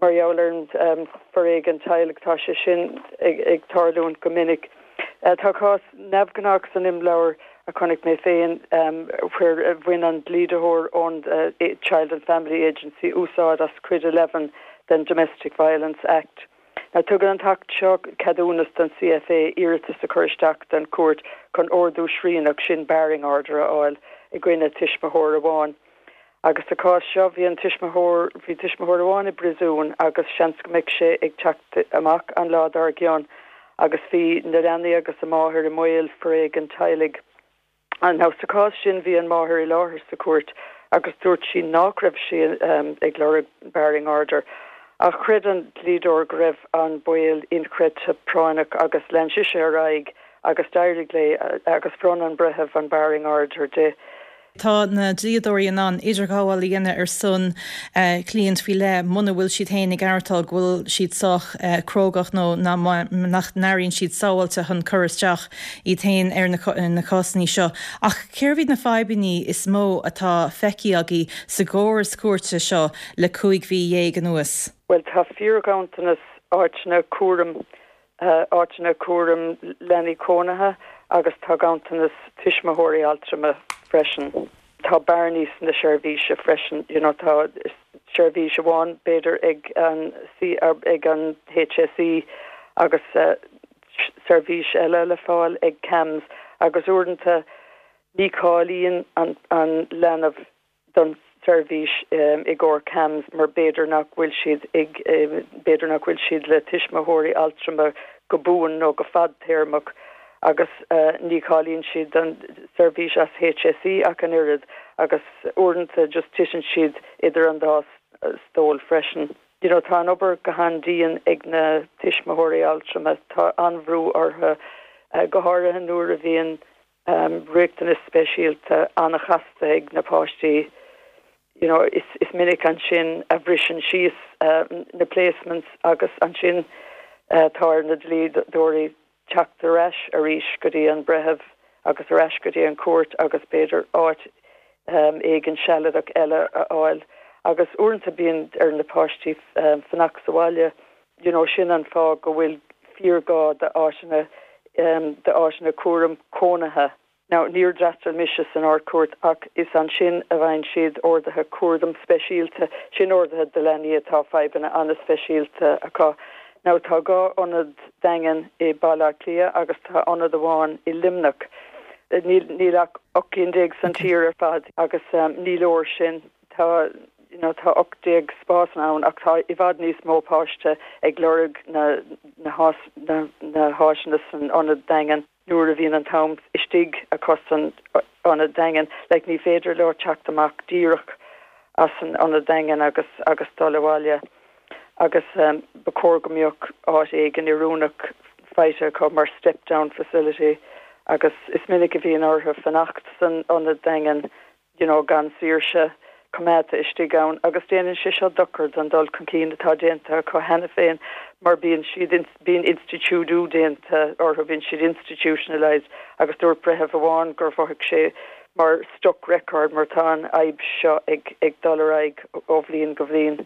mar gheall ar um, foréigean teaghlaigh tá sé sin ag, ag tarlúint go minic. Uh, tá cás neamhghnách san imleabhar a chonaic mé féin um, where bhain an dlíodóir ón uh, Child and Family Agency úsáid as Cuid eleven den Domestic Violence Act. Now tugann an tAcht seo ceadúnas don C F A iarratas a chur isteach don chúirt chun ordú srianach sin barring order a fháil i gcoinne tuismitheoir amháin. Agus sa chás seo bhí an tuismitheoir bhí tuismitheoir amháin i bpríosún agus seans go mbeadh sé ag teacht amach an lá dár gcionn agus bhí na leanaí agus a máthair i mbaol foréigean teaghlaigh. An now sa chás sin bhí an máthair i láthair sa chúirt agus dúirt sí nach raibh sí um, ag lorg barring order. Ach chreid an dlíodóir go raibh an baol inchreidte práinneach agus lean sí ar aghaidh agus d'éirigh léi agus bhronn an breitheamh an barring order di. Tá na dlíodóirí in ann idirghabháil a dhéanamh ar son uh, cliant faoi leith muna bhfuil siad féin ag aireachtáil go bhfuil siad sách uh, crógach nó nach n-airíonn siad sábháilte chun cur isteach iad féin ar na, na cásanna seo. Ach cérbh iad na fadhbanna is mó atá feicthe agaibh sa gcóras cúirte seo le cúig mhí dhéag anuas. Well tá fíorghanntanas áiteanna cúram uh, áiteanna cúram leanaí cónaithe agus tá ganntanas tuismitheoirí altrama freisin. Tá bearnaí sna seirbhísí freisin you know, tá seirbhís amháin b'fhéidir ag an C ag an H S E agus uh, seirbhís eile le fáil ag CAMHS agus uaireanta ní cháilíonn an, an leanbh don seirbhís um, i gcomhair CAMHS mar b'fhéidir nach bhfuil siad ag um, b'fhéidir nach bhfuil siad le tuismitheoirí altrama go buan nó go fadtéarmach. agus ní cháilíonn siad don seirbhís as HSE ach an oiread agus uaireanta just titeann siad idir an dá stól freisin. You know, tá an obair go han-dian ag na tuismitheoirí altrama, tá an-bhrú orthu, go háirithe nuair a bhíonn riachtanais speisialta an-chasta ag na páistí. You know, is, is minic ansin a bhriseann síos na placements agus ansin tá ar na dlíodóirí teacht ar ais arís go dtí an breitheamh agus ar ais go dtí an chúirt agus b'fhéidir áit éigin sealadach eile a fháil. Agus uaireanta bíonn ar na páistí fanacht sa bhaile, you know, sin an fáth go bhfuil fíorghá d'áiteanna d'áiteanna cúram cónaithe. Now, níor d'fhreastail mise san Ard-Chúirt ach is ansin a bhfaigheann siad orduithe cúraim speisialta, sin orduithe do leanaí atá fadhbanna an-speisialta acu. Now, tá dhá ionad daingean i Baile Átha Cliath agus tá ionad amháin i Luimneach. Níl, níl ach ocht gcinn déag san tír ar fad agus ní leor sin. Tá, you know, tá ocht déag spás ann ach tá i bhfad níos mó páiste ag lorg na, na, na, na háiseanna san ionad daingean. nuair a bhíonn an t-am istigh acu san ionad daingean, like ní féidir leo teacht amach díreach as an ionad daingean agus agus dul abhaile agus um, ba chóir go mbeadh áit éigin oiriúnach faighte acu mar step down facility agus is minic a bhíonn orthu fanacht san ionad daingean you know, gan saoirse coimeádta istigh ann agus déanann sé seo dochar don dul chun cinn atá déanta acu cheana féin mar bíonn siad bíonn institiúidiú déanta orthu bíonn siad institutionalized agus dúirt breitheamh amháin gur mhothaigh sé mar stuck record mar tá an fhadhb seo ag ag dul ar aghaidh ó bhliain go bhliain.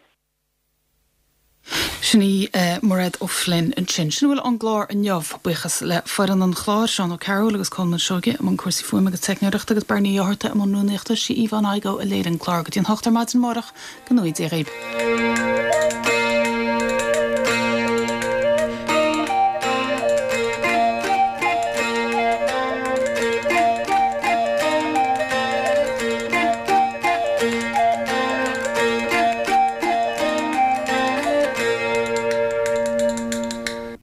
Sin í Mairéad O'Flynn ansin. Sin a bhfuil ón gclár inniu buíochas le foireann an chláir Seán Ó Cearúil agus Colman Seoige i mbun cúrsaí fuaime agus teicneoireachta agus Bernie Ó hEorta i mbun rúnaíochta sí Yvonne Igoe a léirigh an clár go dtí an hocht ar maidin amárach go ngnóthaí Dia dhaoibh.